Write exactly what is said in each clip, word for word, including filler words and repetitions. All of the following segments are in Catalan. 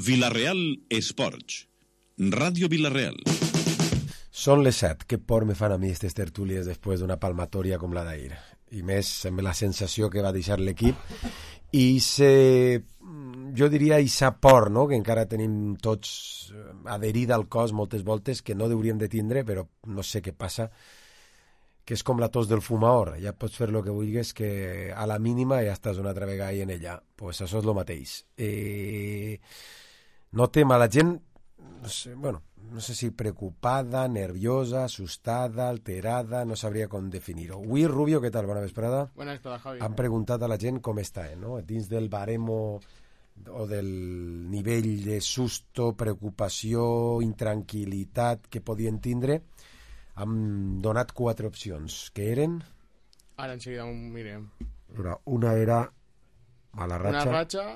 Vila-real Esports, Ràdio Vila-real. Són les set. Què por me fan a mi aquestes tertúlies després d'una palmatòria com la d'ahir? I més amb la sensació que va deixar l'equip i se, jo diria ixa por, no?, que encara tenim tots adherida al cos moltes voltes, que no hauríem de tindre, però no sé què passa, que és com la tos del fumador. Ja pots fer el que vulguis, que a la mínima ja estàs una altra vegada en ella. Pues això és el mateix. Eh, notem a la gent, no sé, bueno, no sé si preocupada, nerviosa, assustada, alterada, no sabria com definir-ho. Avui, Rubio, què tal? Bona vesprada. Bona vesprada, Javi. Han preguntat a la gent com està, eh, no? Dins del baremo o del nivell de susto, preocupació, intranquil·litat que podien tindre, han donat quatre opcions, que eren... Ara enseguida ho mirem. Una era mala ratxa, Una ratxa...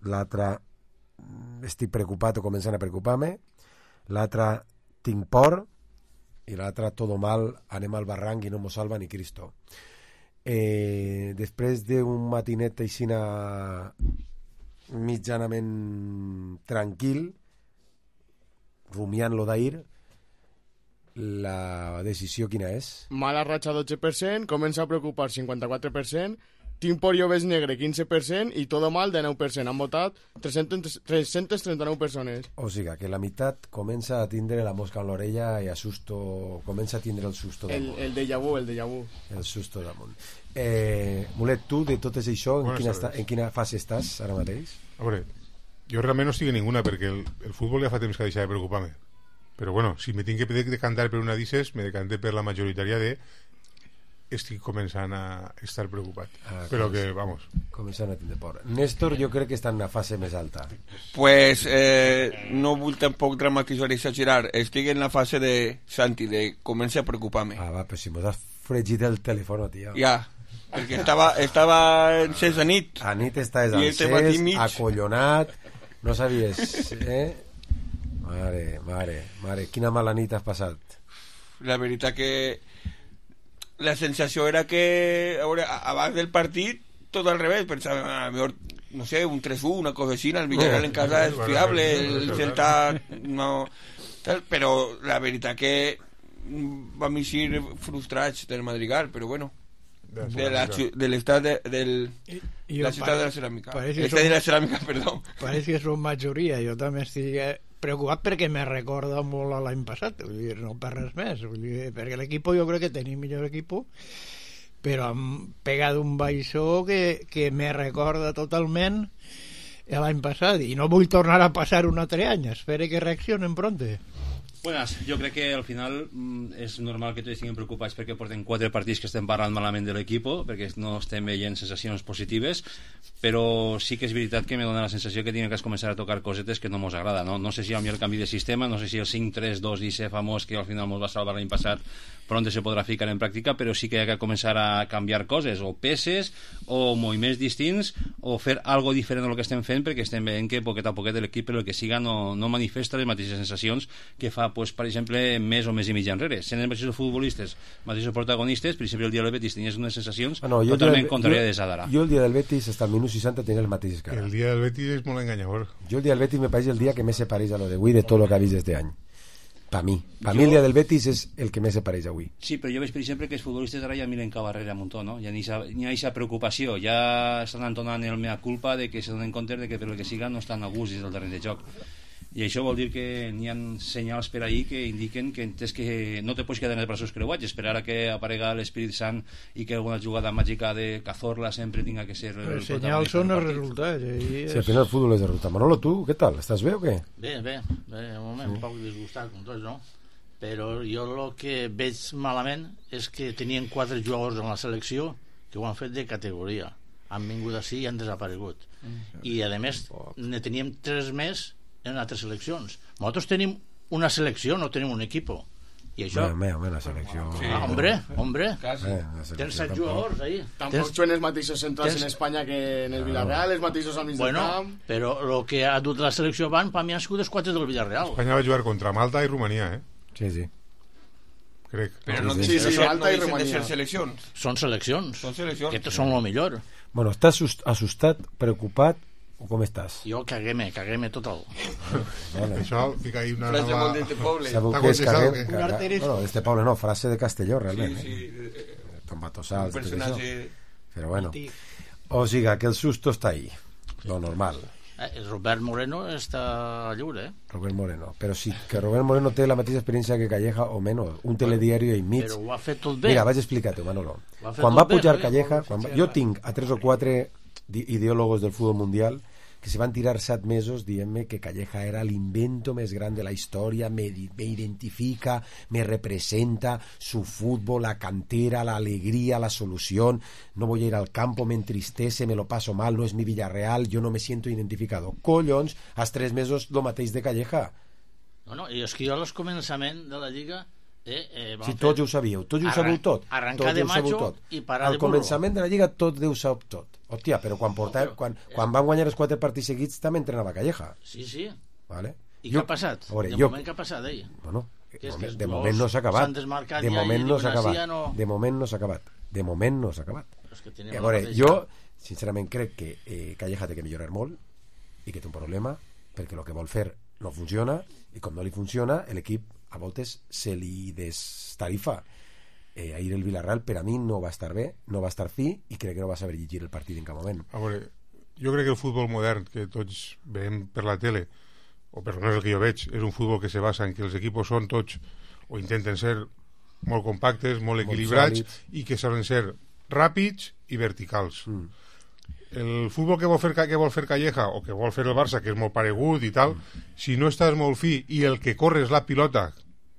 l'altra estic preocupat o començant a preocupar-me, l'altra tinc por i l'altra todo mal, anem al barranc i no mos salva ni Cristo. Eh, després d'un matinet aixina mitjanament tranquil, rumiant lo d'ahir, la decisió quina és? Mala ratxa dotze per cent, comença a preocupar cinquanta-quatre per cent, tinc por i ovès negre quinze per cent i todo mal de nou per cent. Han votat tres-centes trenta-nou persones. O sigui, que la meitat comença a tindre la mosca en l'orella i a susto, comença a tindre el susto damunt. El, el déjà vu, el déjà vu. El susto damunt. Eh, Mulet, tu de tot això, en quina, està, en quina fase estàs ara mateix? A veure, jo realment no estic en ninguna perquè el, el futbol ja fa temps que ha deixat de preocupar-me. Però bueno, si me tinc que decantar per una d'ixes, me decanté per la majoritària de estic començant a estar preocupat. Ah, però que, vamos... Començant a tindre por. Néstor, jo crec que està en una fase més alta. Pues eh, no vull tampoc dramatitzar i exagerar. Estic en la fase de Santi, de començar a preocupar-me. Ah, va, però si mos has fregit el telèfon, tio. Ja, perquè estava, estava encès a nit. A nit estàs encès, acollonat, no sabies, eh? Mare, mare, mare, quina mala nit has passat. La veritat que la sensació era que a veure, abans del partit tot al revés, pensava a lo mejor, no sé, un tres u, una cosa així, el Villarreal en casa és fiable, el Celta no, tal, però la veritat que vam eixir frustrats del Madrigal, però bueno, de la, de l'estat de, del I, la ciutat de la ceràmica, l'estat som, de la ceràmica, perdó. Pareix que som majoria, jo també estic preocupat perquè me recorda molt a l'any passat, vull dir, no per res més, vull dir, perquè l'equip jo crec que tenim millor equip, però hem pegat un baixó que, que me recorda totalment l'any passat i no vull tornar a passar un altre any, espero que reaccionen pronte. Buenas, jo crec que al final mm, és normal que tots estiguem preocupats perquè porten quatre partits que estem parlant malament de l'equip, perquè no estem veient sensacions positives, però sí que és veritat que me dona la sensació que tinc que començar a tocar cosetes que no mos agrada, no? No sé si hi ha el canvi de sistema, no sé si el cinc tres dos d'I C famós que al final mos va salvar l'any passat pronte se podrà ficar en pràctica, però sí que hi ha que començar a canviar coses, o peces o moviments distints, o fer algo diferent del que estem fent, perquè estem veient que poquet a poquet l'equip, per el que siga, no, no manifesta les mateixes sensacions que fa, pues, per exemple, més o més i mig enrere. Sent els mateixos futbolistes, mateixos protagonistes, per exemple, el dia del Betis tenies unes sensacions ah, no, totalment contràries de d'ara. Jo el dia del Betis, fins al minut seixanta, tenia les mateixes cares. El dia del Betis és molt enganyador. Jo el dia del Betis me pareix el dia que més se pareix a lo de avui de tot el que ha vist este any. Per mi. Per mi el dia del Betis és el que més se pareix avui. Sí, però jo veig, per exemple, que els futbolistes ara ja miren cap darrere un muntó, no? Ja n'hi ha aquesta preocupació, ja estan entonant el mea culpa de que se donen compte de que per el que siga no estan a gust dins del terreny de joc. I això vol dir que n'hi ha senyals per ahí que indiquen que entès que no te pots quedar en els braços creuats, esperar a que aparega l'Espírit Sant i que alguna jugada màgica de Cazorla sempre tinga que ser el els senyals són els resultats. Eh? Sí, al final el futbol és de resultat. Manolo, tu, què tal? Estàs bé o què? Bé, bé, bé, un moment, sí. Un poc disgustat com tots, no? Però jo el que veig malament és que tenien quatre jugadors en la selecció que ho han fet de categoria. Han vingut així i han desaparegut. Mm. I a més ne teníem tres més en altres seleccions. Nosaltres tenim una selecció, no tenim un equip. I això... Bé, bé, la selecció... Sí. Ah, hombre, hombre. Bé, tens set jugadors ahí. Tampoc tens... juguen els mateixos centrals tens... en Espanya que en el Villarreal, els mateixos al mig bueno, del camp. Però el que ha dut la selecció abans, per mi han sigut els quatre del Villarreal. Espanya va jugar contra Malta i Romania, eh? Sí, sí. Crec. Però no, sí, sí, sí, Malta no i Romania. De ser seleccions. Són seleccions. Són seleccions. Que són el millor. Bueno, estàs assustat, preocupat o com estàs? Jo caguem-me, caguem-me total. Vale. Això fica ahí una Frase nova... molt d'este poble. Sabeu T'ha què és contestat, caguem? o què? Caga... Bueno, d'este poble no, frase de Castelló, realment. Sí, Eh? sí. Tombatossals, Un tot això. personatge... Però bueno. O sigui, que el susto està ahí. Lo normal. Eh, el Robert Moreno està lliure, eh? Robert Moreno. Però sí, que Robert Moreno té la mateixa experiència que Calleja o menys. Un telediari i mig. Però ho ha fet tot bé. Mira, vaig explicar-te, Manolo. Ho ha fet Quan tot va pujar bé, Calleja, quan va... jo tinc a tres o quatre di- ideòlogos del futbol mundial que se van tirar set mesos dient-me que Calleja era l'invento més gran de la història, me, di- me identifica, me representa, su fútbol, la cantera, la alegría, la solución, no voy a ir al campo, me entristece, me lo paso mal, no es mi Villarreal, yo no me siento identificado. Collons, als tres mesos lo mateix de Calleja. No, no, i és que jo al començament de la Lliga... Eh, eh, Si tots ho sabíeu, tots ho Arran- sabeu tot. arrencar tots de ho sabeu macho tot. i parar Al de burro. començament de la Lliga tot Déu sap tot. Hòstia, però quan, portà, quan, quan van guanyar els quatre partits seguits també entrenava Calleja. Sí, sí. Vale? I què ha passat? A veure, de jo, moment què ha passat, ell? bueno, Que de és que moment, els de gols moment no s'ha acabat. s'han desmarcat De ja moment i no s'ha diuen, acabat. "Així ja no". De moment no s'ha acabat. De moment no s'ha acabat. Però és que I tenim a la veure, mateixa- jo sincerament crec que eh, Calleja té que millorar molt i que té un problema perquè el que vol fer no funciona i com no li funciona l'equip a voltes se li destarifa. Eh, ahir el Villarreal per a mi no va estar bé, no va estar fi i crec que no va saber llegir el partit en cap moment. A veure, jo crec que el futbol modern que tots veiem per la tele, o per almenys el que jo veig, és un futbol que se basa en que els equipos són tots, o intenten ser molt compactes, molt equilibrats, sòlids. i que solen ser ràpids i verticals. Mm. El futbol que vol fer que vol fer Calleja o que vol fer el Barça, que és molt paregut i tal, mm. si no estàs molt fi i el que corre és la pilota,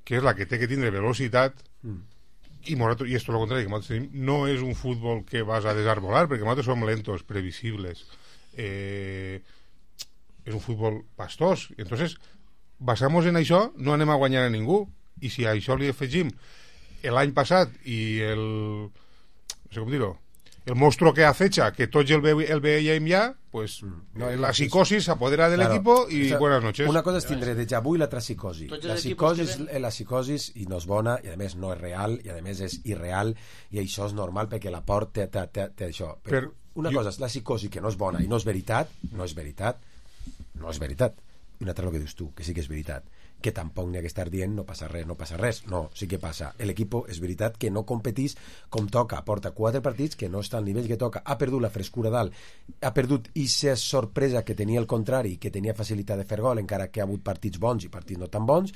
que és la que té que tindre velocitat, Mm. i nosaltres, i esto lo contrario que nosaltres tenim, no és un futbol que vas a desarbolar, perquè nosaltres som lentos, previsibles, eh, és un futbol pastós. Entonces, basamos en això, no anem a guanyar a ningú, i si a això li afegim l'any passat i el no sé com dir-ho, el monstruo que acecha, que tots el, ve, el veiem ja, pues No, la és- psicosis s'apodera del Claro, equipo i o sea, buenas noches. Una cosa és tindre déjà vu i l'altra psicosi. Tots La els equipos que psicosi, ven- la psicosi i no és bona, i a més no és real, i a més és irreal, i això és normal perquè la por té, té, té, té això. Però Per- una jo- cosa és la psicosi que no és bona i no és veritat, no és veritat, no és veritat. I una altra el que dius tu, que sí que és veritat, que tampoc n'hi ha que estar dient no passa res, no passa res. No, sí que passa. L'equip és veritat que no competís com toca, porta quatre partits que no està al nivell que toca, ha perdut la frescura dalt, ha perdut aquesta sorpresa que tenia el contrari, que tenia facilitat de fer gol, encara que ha hagut partits bons i partits no tan bons,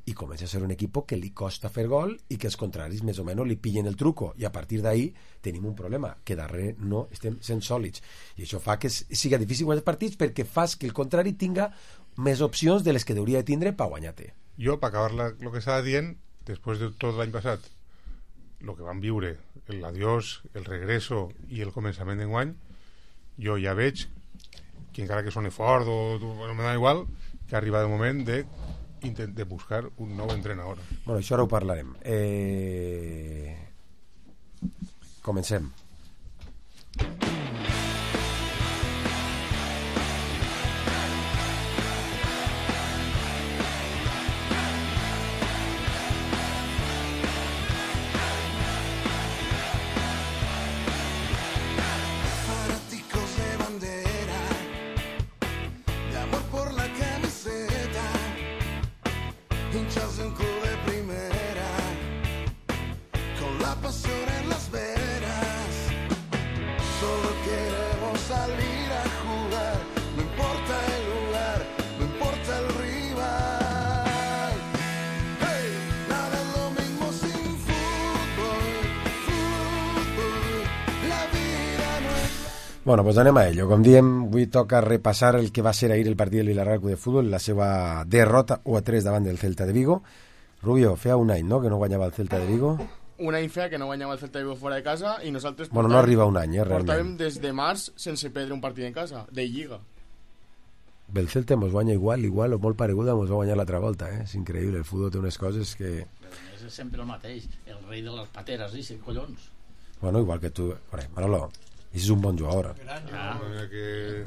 i comença a ser un equip que li costa fer gol i que els contraris més o menys li pillen el truco, i a partir d'ahí tenim un problema, que darrere no estem sent sòlids, i això fa que siga difícil guanyar partits perquè fas que el contrari tinga més opcions de les que hauria de tindre per guanyar-te. Jo, per acabar la, lo que estava dient, després de tot l'any passat, el que vam viure, l'adiós, el regreso i el començament d'enguany, jo ja veig que encara que soni fort o bueno, me da igual, que ha arribat el moment de, de buscar un nou entrenador. Bueno, això ara ho parlarem. Eh... Comencem. Fanáticos de bandera, de amor por la camiseta, hinchas de un club de primera, con la pasión en las venas. Solo queremos salir a jugar, no importa el lugar, no importa el rival. Hey, nada es lo mismo sin fútbol, fútbol, la vida no es. Bueno, doncs anem a ello. Com diem, avui toca repassar el que va ser ahir el partit del Villarreal Club de Futbol, la seva derrota u a tres davant del Celta de Vigo. Rubio, feia un any, no?, que no guanyava el Celta de Vigo. Un any feia que no guanyava el Celta de Vigo fora de casa i nosaltres Bueno, no portàvem- arriba un any, eh, portàvem realment. des de març sense perdre un partit en casa, de Lliga. El Celta mos guanya igual, igual o molt pareguda mos va guanyar l'altra volta, eh? És increïble, el futbol té unes coses que... És sempre el mateix, el rei de les pateres, dice, collons. Bueno, igual que tu... Bueno, Manolo, ese és un bon jugador. Ah, Que...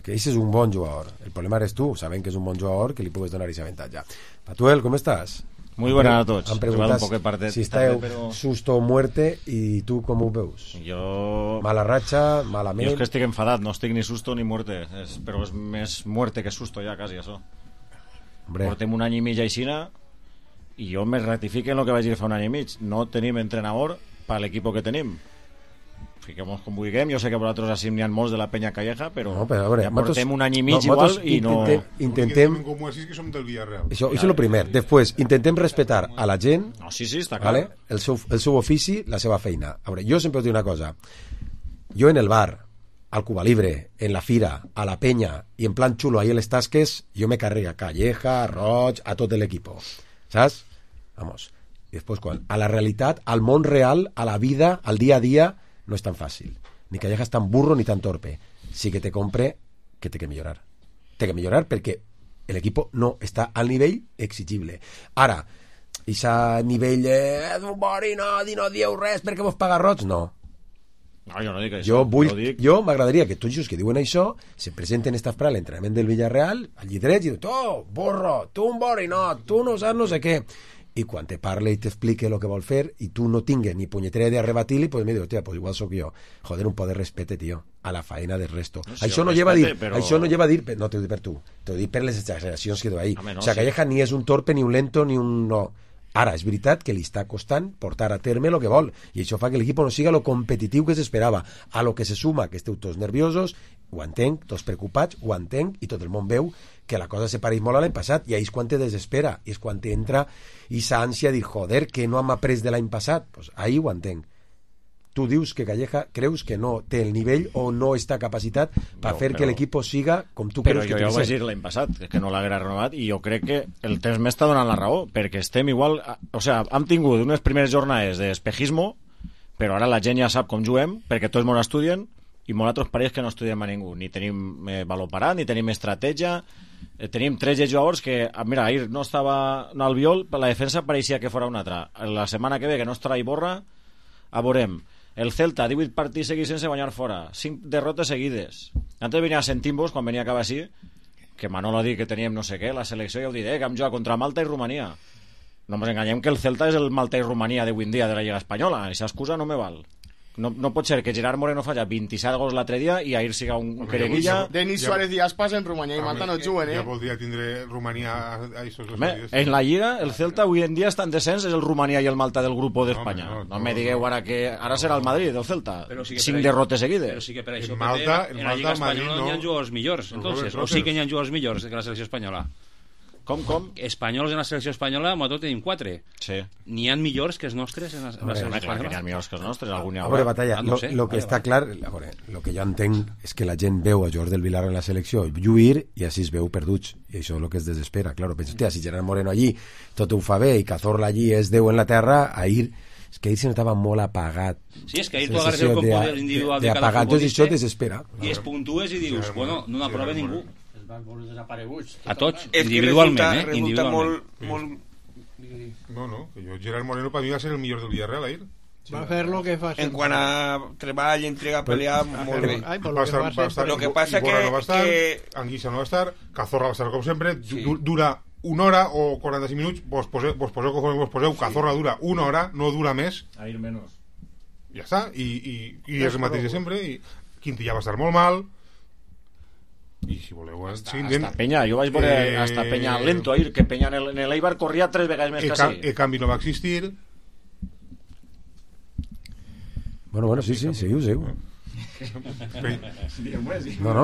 Que ese és un bon jugador. El problema eres tu, sabent que és un bon jugador, que li pugues donar aquest avantatge. Patuel, com estàs? Muy buenas a tots. Em preguntat un partet, si esteu també, però... susto o muerte i tu com ho veus? Jo... Mala ratxa, malament... Jo és que estic enfadat, no estic ni susto ni muerte, és, però és més muerte que susto ja, quasi, això. Hombre. Portem un any i mig aixina i jo me ratifique en el que vaig dir fa un any i mig. No tenim entrenador per l'equip que tenim. Fiquem-nos com vulguem, jo sé que vosaltres així n'hi ha molts de la penya calleja, però, no, però veure, ja portem un any i mig no, igual i no... Intentem... Com així que som del Villarreal. Això, això és el primer. Després, intentem respetar a la gent, no, sí, sí, està clar. ¿vale? el, seu, el seu ofici, la seva feina. A veure, jo sempre us dic una cosa. Jo en el bar, al Cuba Libre, en la fira, a la penya, i en plan xulo ahí en les tasques, jo me carrega a Calleja, a Roig, a tot l'equipo. ¿Saps? Vamos. I després, quan, a la realitat, al món real, a la vida, al dia a dia, no es tan fácil. Ni Calleja es tan burro ni tan torpe. Sí que te compre que té que millorar. Té que millorar perquè l'equip no està al nivell exigible. Ara, ese nivell eh, d'un bori no, di no dieu res perquè vos paga roig, no. No, jo no dic això. Jo, vull, no dic... jo m'agradaria que tots els que diuen això se presenten esta fra a l'entrenament del Villarreal, al llitret, i diuen, tu, burro, tu un bori no, tu no saps no sé què. I quan te parle i t'explique el que vol fer i tu no tingues ni punyetera de rebatir-li, pues me diu, hòstia, pues igual sóc jo. Joder, un poc de respecte, tio, a la faena del resto. No, si això, no lleva a dir, però... això no lleva a dir, no t'ho dic per tu, t'ho dic per les exageracions que du ahí. No, o sea, Calleja sí. Ni és un torpe, ni un lento, ni un... no. Ara, és veritat que li està costant portar a terme el que vol, i això fa que l'equip no siga lo competitiu que s'esperava. A lo que se suma que esteu tots nerviosos, ho entenc, tots preocupats, ho entenc, i tot el món veu que la cosa se pareix molt a l'any passat, i ahí és quan te desespera, i és quan te entra esa ànsia de dir, joder, que no hem après de l'any passat. Pues ahí ho entenc. Tu dius que Calleja creus que no té el nivell o no està capacitat per no, fer però... que l'equip siga com tu però creus que jo, té que ser. Però jo ho vaig dir l'any passat, que no l'haguera renovat, i jo crec que el temps m'està donant la raó, perquè estem igual... O sea, hem tingut unes primeres jornades d'espejismo, però ara la gent ja sap com juguem, perquè tots molt estudien, i molt altres parells que no estudiem a ningú. Ni tenim eh, valor parat, ni tenim estratègia, eh, tenim tres jugadors que... Mira, ahir no estava no, al Viol, la defensa pareixia que fora una altra. La setmana que ve, que no estarà Iborra, a veurem. El Celta, divuit partits seguits sense guanyar fora, cinc derrotes seguides. Antes venia Sentim-vos, quan venia a acabar així, que Manolo ha dit que teníem no sé què, la selecció ja ho diré, que hem jugat contra Malta i Romania. No ens enganyem que el Celta és el Malta i Romania d'avui en dia de la Lliga Espanyola, i aquesta excusa no me val. No, no pot ser que Gerard Moreno falla vint-i-set gols l'altre dia i ahir siga un quereguilla. Denis ja, Suárez i Aspas en Romania i Malta no juguen, eh? Ja voldria tindre Romania a, a estos dos partidos. En la Lliga, el Celta avui en dia està en descens, és el Romania i el Malta del grup d'Espanya. No, no, no, no me digueu ara que ara serà el Madrid, el Celta. Sí cinc derrotes seguides. Però sí que per això en Malta, en la Lliga Espanyola no hi ha jugadors millors, entonces, o sí que hi ha jugadors millors que la selecció espanyola. Com, com? Espanyols en la selecció espanyola, amb tot tenim quatre. Sí. N'hi ha millors que els nostres en la, en la selecció espanyola. N'hi ha millors que els nostres, algun hi haurà. A veure, Batalla, ah, no lo, sé. lo que vale, està vale. clar, a veure, lo que jo entenc és que la gent veu a jugadors del Villarreal en la selecció lluir i així es veu perduts, i això és el que es desespera. Claro, penso, hòstia, si Gerard Moreno allí tot ho fa bé i Cazorla allí és Déu en la terra, ahir és que ahir se notava molt apagat. Sí, és que ahir tu agarres el component individual de, de, de cada apagat, futbolista això desespera. I es puntues i dius, bueno, no n'aprova ningú. Desapareguts. A tots, individualment, eh? Resulta Individualment. molt, molt... No, no, que jo, Gerard Moreno per mi va ser el millor del Villarreal ahir. Va fer lo que fa en quant a treball, entrega, pelea, molt bé. Ai, va estar, va estar, lo que passa que, no va estar, que... Anguissa no va estar, Cazorla va estar com sempre, sí. Dura una hora o quaranta-cinc minuts, vos poseu, vos poseu com vos poseu, Cazorla dura una hora, no dura més. Ahir menys. Ja està, i, i, i és el mateix de sempre, i Quintilla va estar molt mal, i si voleu hasta, sí, hasta Peña, jo vaig veure eh, hasta Peña lento ahir, que Peña en l'Eibar corria tres vegades més que així. El canvi no va existir. Bueno, bueno, sí, sí, seguiu, seguiu. No, no,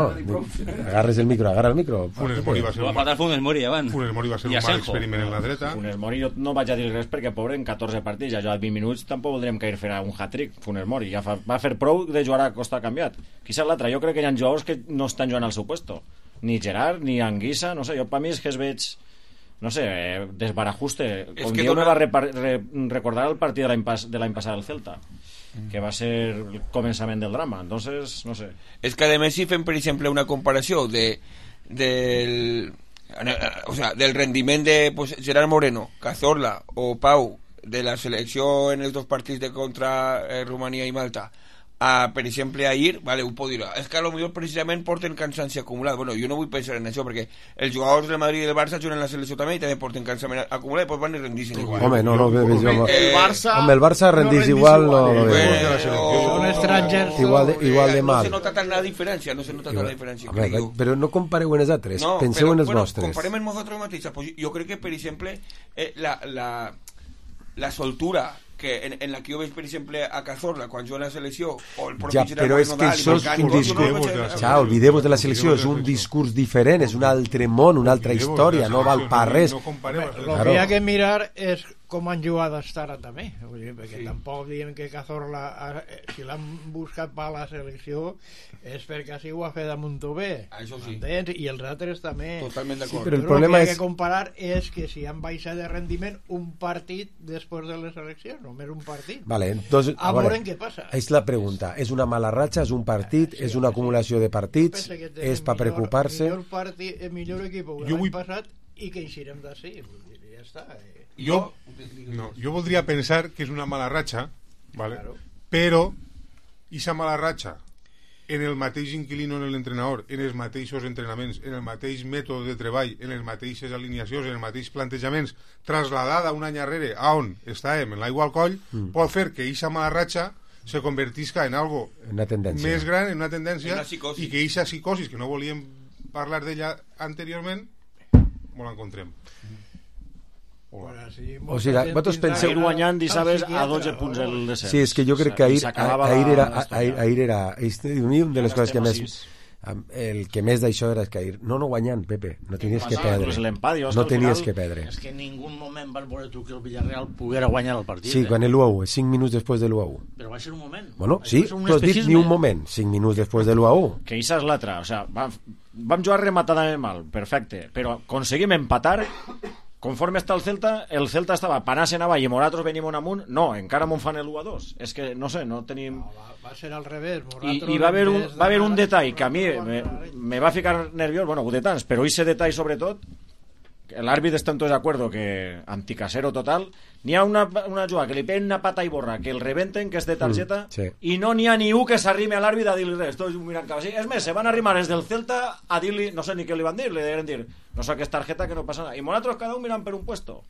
agarres el micro, agarra el micro. Funes Mori va ser un mal, Funes Mori abans. Funes Mori va ser un mal experiment en la dreta. Funes Mori jo no vaig a dir res perquè pobre en catorze partits, ja jugat vint minuts, tampoc voldríem que ell farà un hat-trick. Funes Mori ja fa, va fer prou de jugar a costa canviat. Quizás l'altre, jo crec que hi ha jugadors que no estan jugant al seu puesto. Ni Gerard, ni Anguissa, no sé, jo per mi és que es veig, no sé, desbarajuste. Com jo dona... me va re re recordar el partit de l'any pas de l'any passat del Celta, que va ser el començament del drama. Entonces, no sé. És que a més si fem per exemple una comparació de del o sea, del rendiment de pues, Gerard Moreno, Cazorla o Pau de la selecció en els dos partits de contra eh, Romania i Malta a, per exemple, ahir, vale, ho puc dir, és que potser precisament porten cansanci acumulat. Bueno, jo no vull pensar en això, perquè els jugadors del Madrid i del Barça juguen en la selecció també i també porten cansament acumulat i doncs van i rendixen igual. Home, no, no, no, no, no. El Barça... Home, el Barça rendís no igual, igual, no... Eh, no o... Són estrangers. Igual de, igual de mal. No se nota tant la diferència, no se nota tant la diferència, Home, crec jo. però no compareu en els altres, no, penseu però, en els bueno, vostres. Comparem en nosaltres mateixos. Pues jo crec que, per exemple, eh, la, la, la soltura que en, en la que jo veig, per exemple, a Cazorla quan juga a la selecció o el propi ja, però és que això és un discurs ja, oblideu-vos de la selecció, és un discurs diferent, és un altre món, una altra història, no val per res. El que hi ha que mirar és com han jugat hasta ara també, vull dir, perquè sí. Tampoc diem que Cazorla, si l'han buscat per la selecció és perquè així ho ha fet a Montové, això sí. I els altres també. Totalment d'acord. Sí, però el però problema el que és... ha de comparar és que si han baixat de rendiment un partit després de les eleccions, només un partit. Vale, entonces, a veure què passa. És la pregunta, és una mala ratxa, és un partit, sí, és una acumulació de partits, és per preocupar-se? Millor, partit, millor equip que l'any vull... passat i que eixirem d'ací, ja està. Jo, no, jo voldria pensar que és una mala ratxa, vale? Claro. Però aquesta mala ratxa en el mateix inquilino, en l'entrenador, en els mateixos entrenaments, en el mateix mètode de treball, en les mateixes alineacions, en els mateixos plantejaments, trasladada un any darrere a on estàvem, en l'aigua al coll, mm. pot fer que aquesta mala ratxa se convertisca en algo una tendència. Més gran, en una tendència, una i que aquesta psicosis, que no volíem parlar d'ella anteriorment, molt l'encontrem. Bueno, sí, o sigui, vosaltres penseu guanyant dissabtes a dotze punts el descens. Sí, és que jo crec que ahir, ahir era ahir, ahir era un de les coses que més el que més d'això era que ahir no, no guanyant, Pepe, no tenies que perdre, no tenies que perdre. És que en ningú moment vas veure tu que el Villarreal poguera guanyar el partit. Sí, quan l'u a u, cinc minuts després de l'u a u. Però va ser un moment. Bueno, sí, tu has dit ni un moment, cinc minuts després de l'u a u. Que això és l'altre, o sigui, vam, vam jugar rematadament mal, perfecte, però aconseguim empatar. Conforme està el Celta, el Celta estava panant avall i nosaltres venim amunt, no, encara m'on fan l'u a dos, és que no sé, no tenim... No, va, va ser al revés. I, i va haver un, va haver un detall que a mi me, me va ficar nerviós, bueno, de tants, però aquest detall sobretot, l'àrbit està en tot d'acord que anticasero total, n'hi ha una, una jugada que li peguen una pata i borra, que el rebenten, que és de targeta, mm, sí. I no n'hi ha ni un que s'arrime a l'àrbit a dir-li res, tots mirant cap així. És més, se van arrimar des del Celta a dir-li, no sé ni què li van dir, li deuen dir, no sé què és targeta, que no passa nada. I nosaltres cada un mirant per un puesto.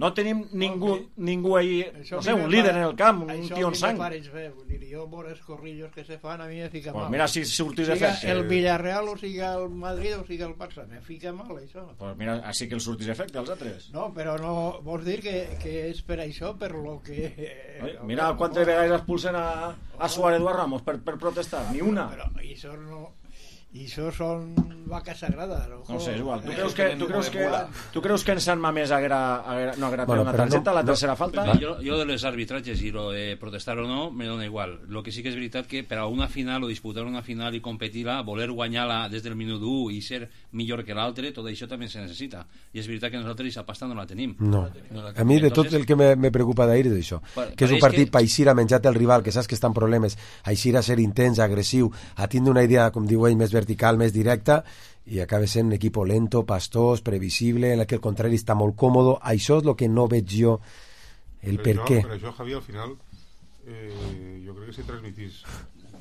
No tenim ningú, ningú ahí, no sé, un líder en el camp, un tio en sang. Jo, por els corrillos que se fan, a mi me fica pues mal. Mira si surtis efecte. El Villarreal o siga el Madrid o siga el Barça, me fica mal això. Pues mira, així que el surtis efecte als altres. No, però no, vols dir que, que és per això, per lo que... Oi, mira quantes vegades expulsen a, a Suárez Eduard Ramos per, per protestar, ni una. Però això no... I això són vaca sagrada, no? No sé, és igual. Tu creus que, tu creus que, tu creus que en Sant Mamés haguera, haguera, no haguera bueno, una targeta, no, la tercera no, falta? Jo, jo de les arbitratges i lo de protestar o no, me dona igual. Lo que sí que és veritat que per a una final o disputar una final i competir-la, voler guanyar-la des del minut u i ser millor que l'altre, tot això també se necessita. I és veritat que nosaltres aquesta pasta no la tenim. No. no la tenim. A mi de Entonces, tot el que me, me preocupa d'ahir és això, per, que és un partit que... per eixir a menjar-te el rival, que saps que està en problemes, a eixir a ser intens, agressiu, a tindre una idea, com diu ell, més vertical, més directa, i acaba sent un equip lento, pastós, previsible, en el que el contrari està molt còmodo. Això és el que no veig jo el per què. Per això, Javi, al final eh, jo crec que se transmitís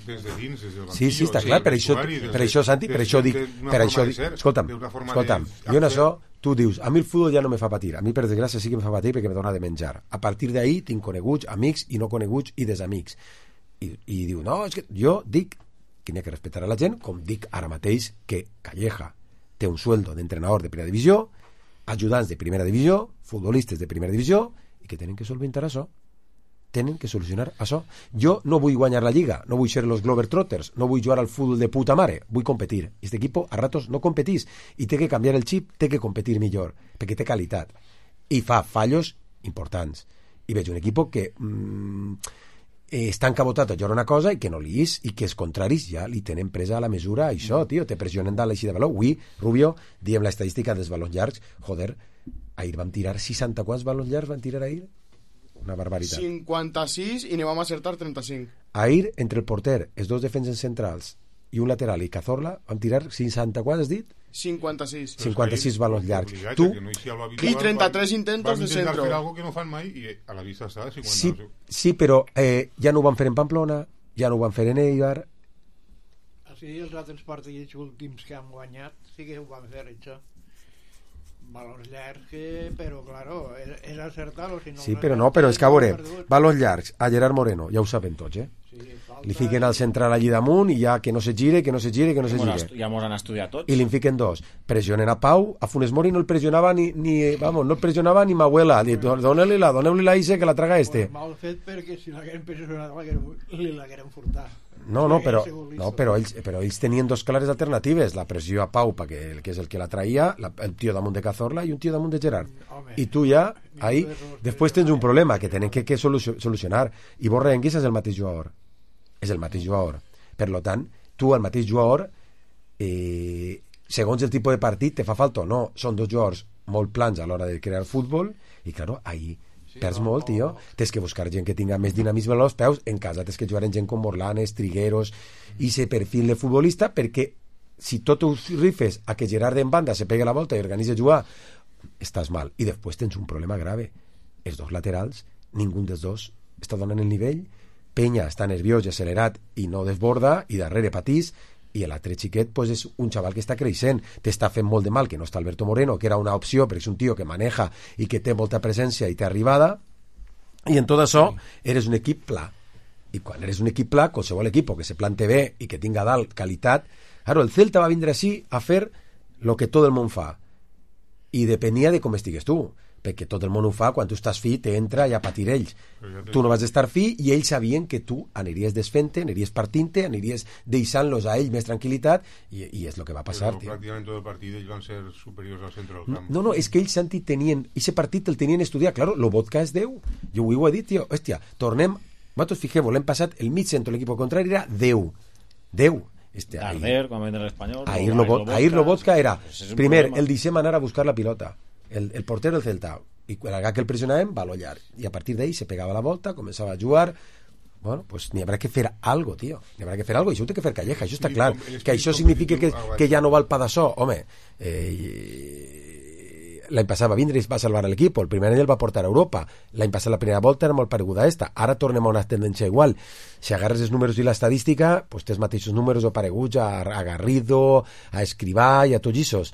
des de dins, des del banquillo. Sí, sí, està clar, per això, per això, Santi, per això dic, per això dic, escolta'm, escolta'm, jo en això, tu dius, a mi el futbol ja no me fa patir, a mi per desgràcia sí que me fa patir perquè me dona de menjar. A partir d'ahir tinc coneguts, amics i no coneguts i desamics. I, i diu, no, és que jo dic que n'hi ha que respectar a la gent, com dic ara mateix que Calleja té un sueldo d'entrenador de primera divisió, ajudants de primera divisió, futbolistes de primera divisió, i que tenen que solventar això. Tenen que solucionar això. Jo no vull guanyar la Lliga, no vull ser los Globetrotters, no vull jugar al futbol de puta mare, vull competir. Este equipo a ratos no competís i té que canviar el xip, té que competir millor, perquè té qualitat. I fa fallos importants. I veig un equip que... Mmm, Eh, està encabotat a jugar una cosa i que no li és, i que els contraris ja li tenen presa a la mesura a això, tio, te pressionen dalt així de valor. Avui, Rubio, diem l'estadística dels balons llargs, joder, ahir vam tirar seixanta quants balons llargs van tirar ahir? Una barbaritat. cinquanta-sis i ne vam acertar trenta-cinc. Ahir, entre el porter, els dos defenses centrals i un lateral i Cazorla, vam tirar seixanta quants, has dit? cinquanta-sis. cinquanta-sis balons llargs. Tu... I trenta-tres intentos de centro. Van intentar fer algo que no fan mai i a la vista està cinquanta. Sí, sí, però eh, ja no ho van fer en Pamplona, ja no ho van fer en Eibar. Sí, els altres partits últims que han guanyat sí que ho van fer, això. Valors llargs, que, però, claro, és, és acertar-lo. Si no sí, però no, però és que, a veure, valors llargs, a Gerard Moreno, ja ho saben tots, eh? Sí, falta... Li fiquen al central allí damunt i ja que no se gire, que no se gire, que no se gire. Ja mos han estudiat tots. I li fiquen dos. Pressionen a Pau, a Funes Mori no el pressionava ni, ni vamos, no el pressionava ni ma abuela. Doneu-li la, doneu-li la Ise que la traga este. Pues mal fet, perquè si l'hagueren pressionat li l'hagueren furtat. No, no, però, no però, ells, però ells tenien dos clares alternatives, la pressió a Pau, perquè, que és el que la traïa, la, el tio damunt de Cazorla i un tio damunt de Gerard. Home, i tu ja, ahí, després tens un problema que tenen que, que solucionar, i vos Renguis és el mateix jugador, és el mateix jugador. Per lo tant, tu, el mateix jugador, eh, segons el tipus de partit, te fa falta o no. Són dos jugadors molt plans a l'hora de crear futbol, i claro, ahí sí, perds no, molt, tio. No, no. Tens que buscar gent que tinga més dinamisme als peus. En casa tens que jugar en gent com Morlanes, Trigueros, i ese perfil de futbolista, perquè si tot ho rifes a que Gerard en banda se pegue la volta i organitza jugar, estàs mal. I després tens un problema grave. Els dos laterals, ningú dels dos està donant el nivell. Penya està nerviós i accelerat i no desborda, i darrere patís, i l'altre xiquet pues, és un xaval que està creixent, t'està fent molt de mal que no està Alberto Moreno, que era una opció perquè és un tio que maneja i que té molta presència i té arribada, i en tot això eres un equip pla, i quan eres un equip pla, qualsevol equip que se plante bé i que tinga dalt qualitat, claro, el Celta va vindre així a fer el que tot el món fa, i depenia de com estigues tu, perquè tot el món ho fa, quan tu estàs fi t'entra i a patir ells, tu no vas estar fi i ells sabien que tu aniries desfent-te, aniries partint-te, aniries deixant-los a ells més tranquil·litat, i, i és el que va passar, però tio. Pràcticament tot el partit ells van ser superiors al centre del camp. No, no, és que ells sentit tenien, ese partit el tenien estudiat, claro, lo vodka és deu, jo ho he dit, tio, hòstia, tornem, vosaltres fixeu, l'hem passat, el mig centre, l'equip contrari era deu, deu, este, Darder, com en l'Espanyol, ahir lo, ahir lo vodka era, primer, el deixem anar a buscar la pilota, El, el portero del Celta, i quan que el pressionàvem va a llarg, i a partir d'ahí se pegava la volta, començava a jugar. Bueno, pues n'hi haurà que fer algo, tio, n'hi haurà que fer algo, i això ho té que fer Calleja, això està clar, que això significa que, que ja no va el Padassó, home, eh, l'any passat va vindre i va salvar l'equip, el primer any el va portar a Europa, l'any passat la primera volta era molt pareguda a esta, ara tornem a una tendència igual, si agarres els números i l'estadística, pues tens mateixos números o pareguts a, a Garrido, a Escrivà i a tots issos,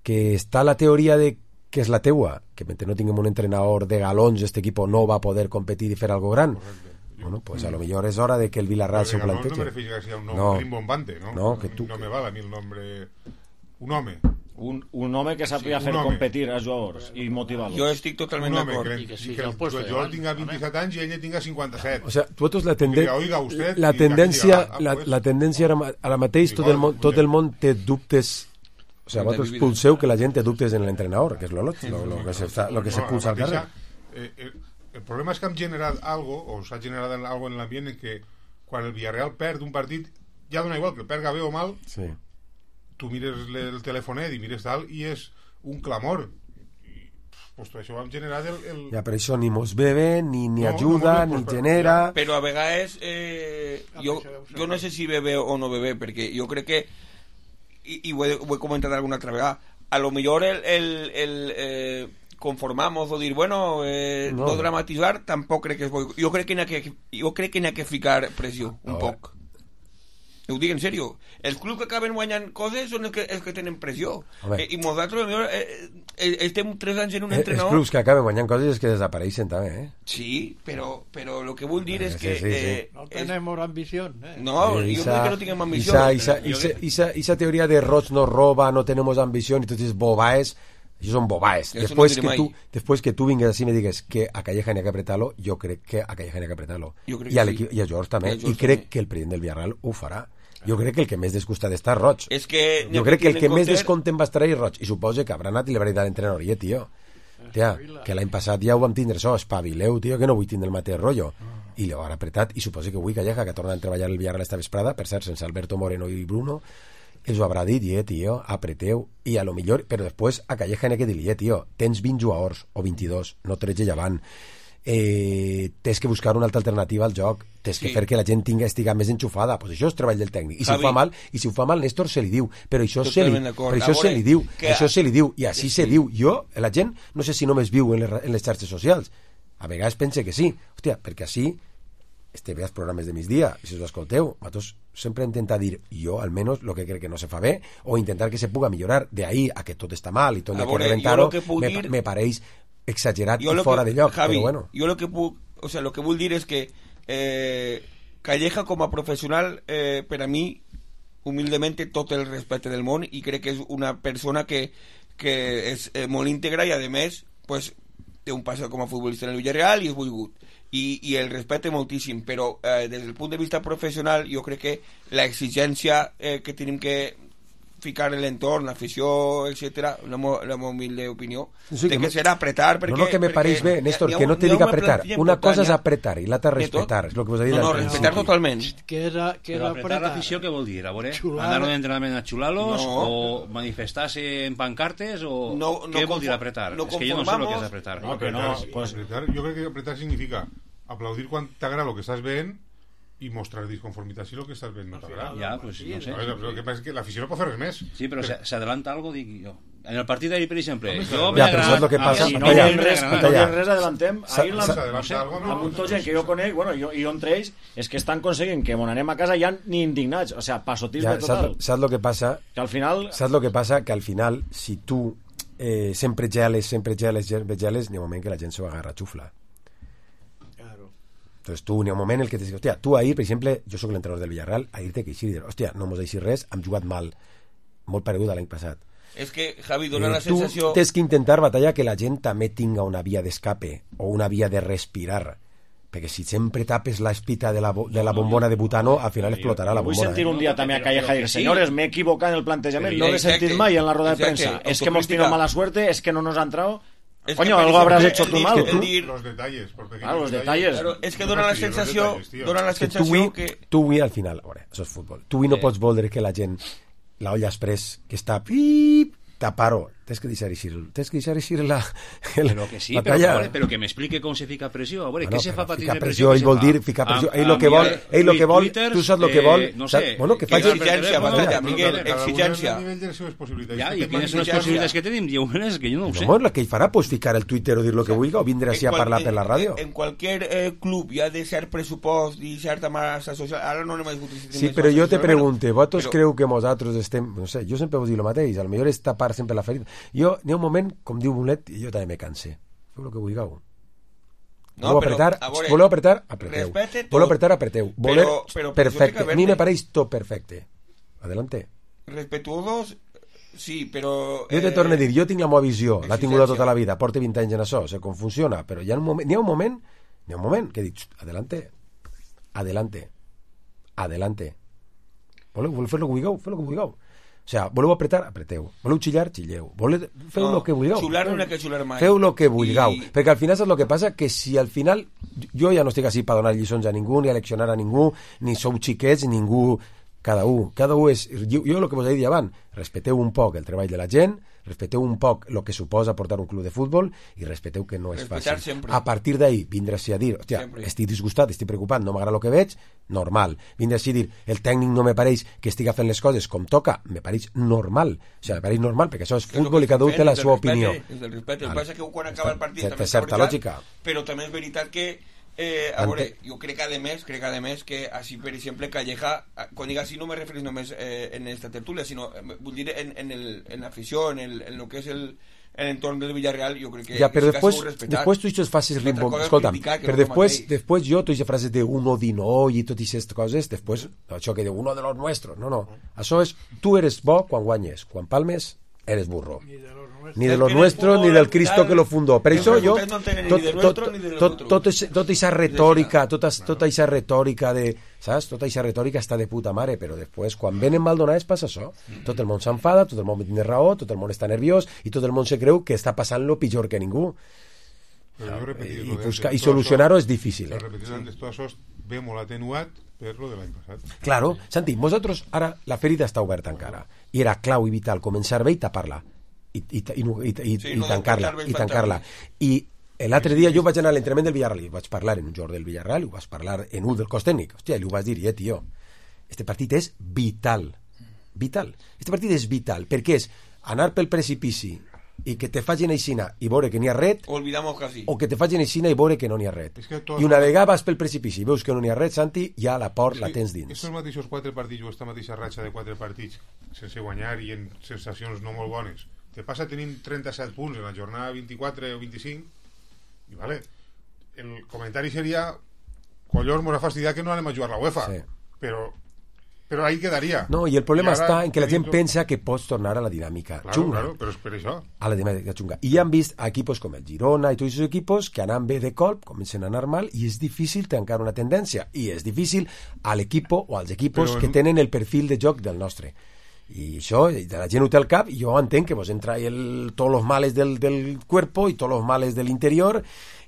que està la teoria de que és la teua, que mentre no tinguem un entrenador de galons, este equipo no va a poder competir i fer algo gran. Correcte. Bueno, pues a lo mejor es hora de que el Villarreal se plantee. No me refiero a que sea un nombre no. rimbombante, ¿no? No, que tú... no me vale a mí el nombre... Un home. Un, un home que sàpiga sí, fer home. Competir als jugadors i motivar-los. Jo estic totalment d'acord. Que, que, que, que el, el jugador tinga vint-i-set anys i ell tinga cinquanta-set. O sea, tu la, tenden... Oiga, usted, la tendència ah, la, pues... la tendència ara, ara mateix tot el, món, tot el món té dubtes. O sea, vosaltres pulseu que la gent té dubtes en l'entrenador, que és lo, lo, lo, que se, lo que se pulsa al carrer. Eh, eh, el problema és que hem generat algo, o s'ha generat algo en l'ambient en que quan el Villarreal perd un partit, ja dona igual que el perga bé o mal, sí. Tu mires el telefonet i mires tal, i és un clamor. I, pues, això ho hem generat el... el... Ja, però això ni mos bebe, ni, ni no, ajuda, no, no, ni pues, genera... Però a vegades, eh, jo, jo no sé si bebe o no bebe, perquè jo crec que y, y voy, voy a comentar alguna otra vez, a lo mejor el, el, el eh, conformamos o dir, bueno, eh, no. no dramatizar, tampoc crec que es bo. Jo crec que n'hi ha que, jo crec que n'hi ha que ficar pressió, un no. poc. Ho dic en sèrio. Els clubs que acaben guanyant coses són els que, els que tenen pressió. Eh, I nosaltres eh, eh, estem tres anys en un entrenador... Els clubs que acaben guanyant coses és que desapareixen també, eh? Sí, però, però lo que vull dir eh, és que... Sí, sí, sí. Eh, no tenemos ambició. Eh? No, eh, jo no dic que no tinguem ambició. Isa, isa, isa, isa, isa teoria de Roig no roba, no tenemos ambició, i tot és bobaes... Això són bobaes. Després no que, tu, després que tu vingues així i me digues que a Calleja n'hi ha que apretar-lo, jo crec que a Calleja n'hi ha que apretar-lo. I a, sí. I a George també. I, I crec també. Que el president del Villarreal ho farà. Jo crec que el que més descostat està Roig. És que jo crec que el que més descontent va estar ahí Roig. I suposa que haurà anat i li haurà dit a l'entrenador, oye, tio, tia, que l'any passat ja ho vam tindre això, espavileu, tio, que no vull tindre el mateix rotllo. I l'ho haurà apretat. I suposa que avui Calleja, que ha tornat a treballar el Villarreal esta vesprada, per cert, sense Alberto Moreno i Bruno, ells ho haurà dit, eh, tio, apreteu, i a lo millor, però després a Calleja n'hi ha que dir, eh, tio, tens vint jugadors, o vint-i-dos, no tretze llevant, eh, tens que buscar una altra alternativa al joc, tens que sí. fer que la gent tinga, estiga més enxufada, pues això és treball del tècnic, i si Javi. ho fa mal, i si ho fa mal, Néstor se li diu, però això, se li, però això se li diu, que... això se li diu, i així sí. se diu, jo, la gent, no sé si només viu en les, en les xarxes socials, a vegades pense que sí, hòstia, perquè així este ve els programes de migdia, i si us escolteu, nosaltres sempre intentar dir jo, almenys, el que crec que no se fa bé, o intentar que se puga millorar. De ahí a que tot està mal i tot hay que reventar-ho, me, dir... me pareix exagerat i fora que, de lloc. Javi, però bueno. Jo lo que puc, o sea, lo que vull dir és que eh, Calleja com a professional, eh, per a mi, humildemente, tot el respecte del món, i crec que és una persona que, que és eh, molt íntegra i, a més, pues, té un passat com a futbolista en el Villarreal i és volgut. I, i el respecte moltíssim, però eh, des del punt de vista professional jo crec que la exigència eh, que tenim que ficar en l'entorn, l'afició, etcètera, la meva humilde opinió, sí, de que, que serà apretar perquè... No, no, que me pareix bé, Néstor, que no te dic apretar. Una cosa és apretar i l'altra respectar, és el que vos he dit. No, no, respectar totalment. Que era, que era però apretar l'afició què vol dir? A veure, anar a un entrenament a xular-los o manifestar-se en pancartes o què vol dir apretar? És que jo no sé el que és apretar. No, que no, pues apretar, jo crec que apretar significa aplaudir quan t'agrada el que estàs veient i mostrar disconformitat si el que estàs veient no t'agrada. Ja, pues no sé. El que passa és que l'afició no pot fer res més. Sí, però s'adelanta algo, dic jo. En el partit d'ahir, per exemple, jo ja, però saps el que passa? Si no hi ha res, no hi ha res, adellantem. Ahir no sé, amb un tot gent que jo conec, bueno, jo, jo entre ells, és que estan aconseguint que mon anem a casa ja ni indignats, o sea, pasotisme total. Saps, saps el que passa? Que al final... Saps el que passa? Que al final, si tu eh, sempre geles, sempre geles, geles, n'hi ha un moment que la gent s'ho agarra a xufla. Entonces tú, en un moment el que te dius, hòstia, tu ahir, per exemple, jo sóc l'entrenador del Villarreal, ahir te queixir i dir, hòstia, no mos deixis res, hem jugat mal, molt paregut a l'any passat. És que, Javi, dona eh, la sensació... Tu tens que intentar batallar que la gent també tinga una via d'escape o una via de respirar, perquè si sempre tapes la espita de la, de la bombona de butano, al final explotarà la bombona. Vull sentir un dia també a Calleja dir, senyores, m'he equivocat en el plantejament, no l'he sentit mai en la roda de premsa, és que hemos tenido mala suerte, es que no nos ha entrado... Es Coño, que algo habrás hecho tú mal. Que tú, los detalles, por pequeños claro, los detalles. Claro, es que dona la sensació, dona la sensació que... Tu avui, al final, a veure, això és futbol. Tu avui no pots voldre que la gent, la olla express, que està... Pip, tapar-ho. Tens que deixar eixir, tens que deixar eixir la, el, però que sí, la però, veure, però que m'explique com se fica pressió. A veure, bueno, què se fa per tindre pressió? Ell vol dir ficar pressió. Ell el que vol, ell el que vol, tu saps el que vol. No sé, bueno, que faci exigència, Batalla, Miguel, exigència. Ja, i quines són les possibilitats que tenim? Diu, és que jo no ho sé. No, la que ell farà, pues ficar el Twitter o dir el que vulgui o vindre així a parlar per la ràdio. En qualsevol club hi ha de cert pressupost i certa massa social. Ara no anem a discutir. Sí, però jo te pregunte, vosaltres creu que nosaltres estem... No sé, jo sempre vos dic el mateix, al millor és tapar sempre la ferida. Jo, n'hi ha un moment, com diu Bonet, i jo també me canse. Feu el que vulgueu. No, voleu apretar, veure, voleu apretar, apreteu. Voleu apretar, apreteu. Voleu, però, però, perfecte. A mi me pareix tot perfecte. Adelante. Respetuosos, sí, però... Jo te eh... torno a dir, jo tinc la meva visió, l'ha tingut tota la vida, porta vint anys en això, sé com funciona, però hi ha un moment, n'hi ha un moment, n'hi ha un moment que dic, adelante, adelante, adelante. Voleu, voleu fer el que vulgueu, fer el que vulgueu. O sea, voleu apretar, apreteu. Voleu xillar, xilleu. Voleu... Feu el no, que vulgueu. Xular no que xular mai. Feu el que vulgueu. I... Perquè al final saps el que passa? Que si al final... Jo ja no estic així per donar lliçons a ningú, ni a leccionar a ningú, ni sou xiquets, ningú... Cada un. Cada un és... Jo, jo el que vos he dit abans, respecteu un poc el treball de la gent, respecteu un poc el que suposa portar un club de futbol i respecteu que no és Respetar fàcil. Sempre. A partir d'ahí vindràs a dir, hòstia, sempre. Estic disgustat, estic preocupat, no m'agrada el que veig, normal. Vindràs a dir, el tècnic no me pareix que estiga fent les coses com toca, me pareix normal. O sigui, me pareix normal, perquè això és futbol i cada un té la seva opinió. És del respecte. El que passa és que quan acaba el partit té certa lògica. Però també és veritat que Eh, a veure, jo crec que a més, crec que a més que així, per exemple, Calleja, quan dic així no me referís només eh, en esta tertúlia, sinó, eh, vull dir, en, en, el, en l'afició, en, el, en lo que és el, l'entorn del Villarreal, jo crec que ja, però que després, després tu això facis rimbo, escolta'm, però després, després jo, tu aquesta frase de uno di noi i tot aquestes coses, després, això que de uno de los nuestros, no, no, això és, tu eres bo quan guanyes, quan palmes, eres burro. Ni de los nuestros, ni del Cristo que lo fundó. Per això jo, tota aquesta retòrica, tota aquesta retòrica de, saps? Tota aquesta retòrica està de puta mare, però després, quan venen maldonades, passa això. Tot el món s'enfada, tot el món té raó, tot el món està nerviós, i tot el món se creu que està passant lo pitjor que ningú. I, buscar, i solucionar-ho és difícil. Eh? Repetir antes tot això ve molt atenuat per lo de l'any passat. Claro, Santi, vosaltres ara la ferida està oberta encara, i era clau i vital començar bé i tapar-la. I, i, i, i, i, sí, i tancar-la i tancar-la i l'altre dia jo vaig anar a l'entrenament del Villarreal i vaig parlar en un jugador del Villarreal i ho vaig parlar en un del cos tècnic, hòstia, i ho vaig dir, eh, tio, este partit és vital vital, este partit és vital perquè és anar pel precipici i que te facin aixina i veure que n'hi ha ret, Olvidamos casi. o que te facin aixina i veure que no n'hi ha ret. És que tot- I una vegada vas pel precipici i veus que no n'hi ha ret, Santi, ja la por la tens dins. Estos mateixos quatre partits o esta mateixa ratxa de quatre partits sense guanyar i en sensacions no molt bones, te passa tenint trenta-set punts en la jornada vint-i-quatre o vint-i-cinc, i vale, el comentari seria collons, mos ha fastidiat que no anem a jugar la UEFA, Sí. però però ahí quedaria. No, i el problema I ara està en que la gent tenim- pensa que pots tornar a la dinàmica Claro, xunga. claro, però és per això. A la dinàmica xunga. I ja han vist a equipos com el Girona i tots aquests equipos que anant bé de colp, comencen a anar mal, i és difícil tancar una tendència. I és difícil a l'equip o als equipos Però que en- tenen el perfil de joc del nostre. I això, de la gent ho té al cap, i jo entenc que vos entra el, tots los males del, del cuerpo i tots los males de l'interior,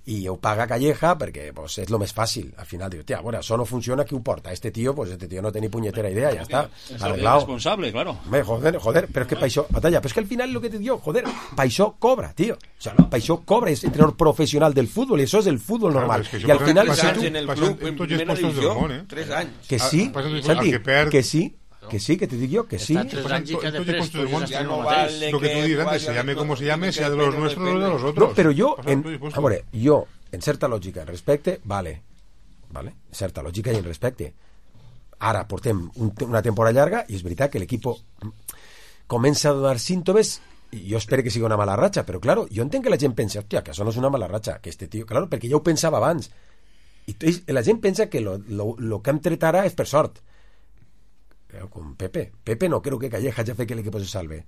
i ho paga Calleja perquè pues, és lo més fàcil. Al final diu, tia, bueno, això no funciona, qui ho porta? Este tío, pues este tío no té ni punyetera idea, ja està. Es el Arreglado. responsable, claro. Hombre, joder, joder, pero es que pa' això, batalla, pero es que al final lo que te digo, joder, pa' això cobra, tío. O sea, pa' això cobra, es entrenador profesional del fútbol, y eso es el fútbol Claro, normal. es que y yo al pasan- final, pasan- si tú- en el pasan club, en en tots els primera puestos del división, món, eh? tres anys. que Ah, sí, pasan de- Santi, al que perd- que sí, que sí, que te digo yo, que sí. Està tres pasan anys i to- que en tots els després puestos del món. podries Ya estar no el mateix. vale Lo que tú dirás, vaya se llame con- como se llame, que sea de depende, los no nuestros o de depende. los otros. No, pero yo, Pasan en, tots els puestos. a veure, jo, en certa lògica, en respecte, vale, vale, en certa lògica i en respecte. Ara portem un, una temporada llarga i és veritat que l'equip comença a donar símptomes, i jo espero que sigui una mala ratxa, però claro, jo entenc que la gent pensa, hòstia, que això no és una mala ratxa, que este tio, claro, perquè ja ho pensava abans, i t- la gent pensa que lo, lo, lo que hem tret ara és per sort. Però con Pepe, Pepe no creo que Calleja ja fe que l'equip se salve.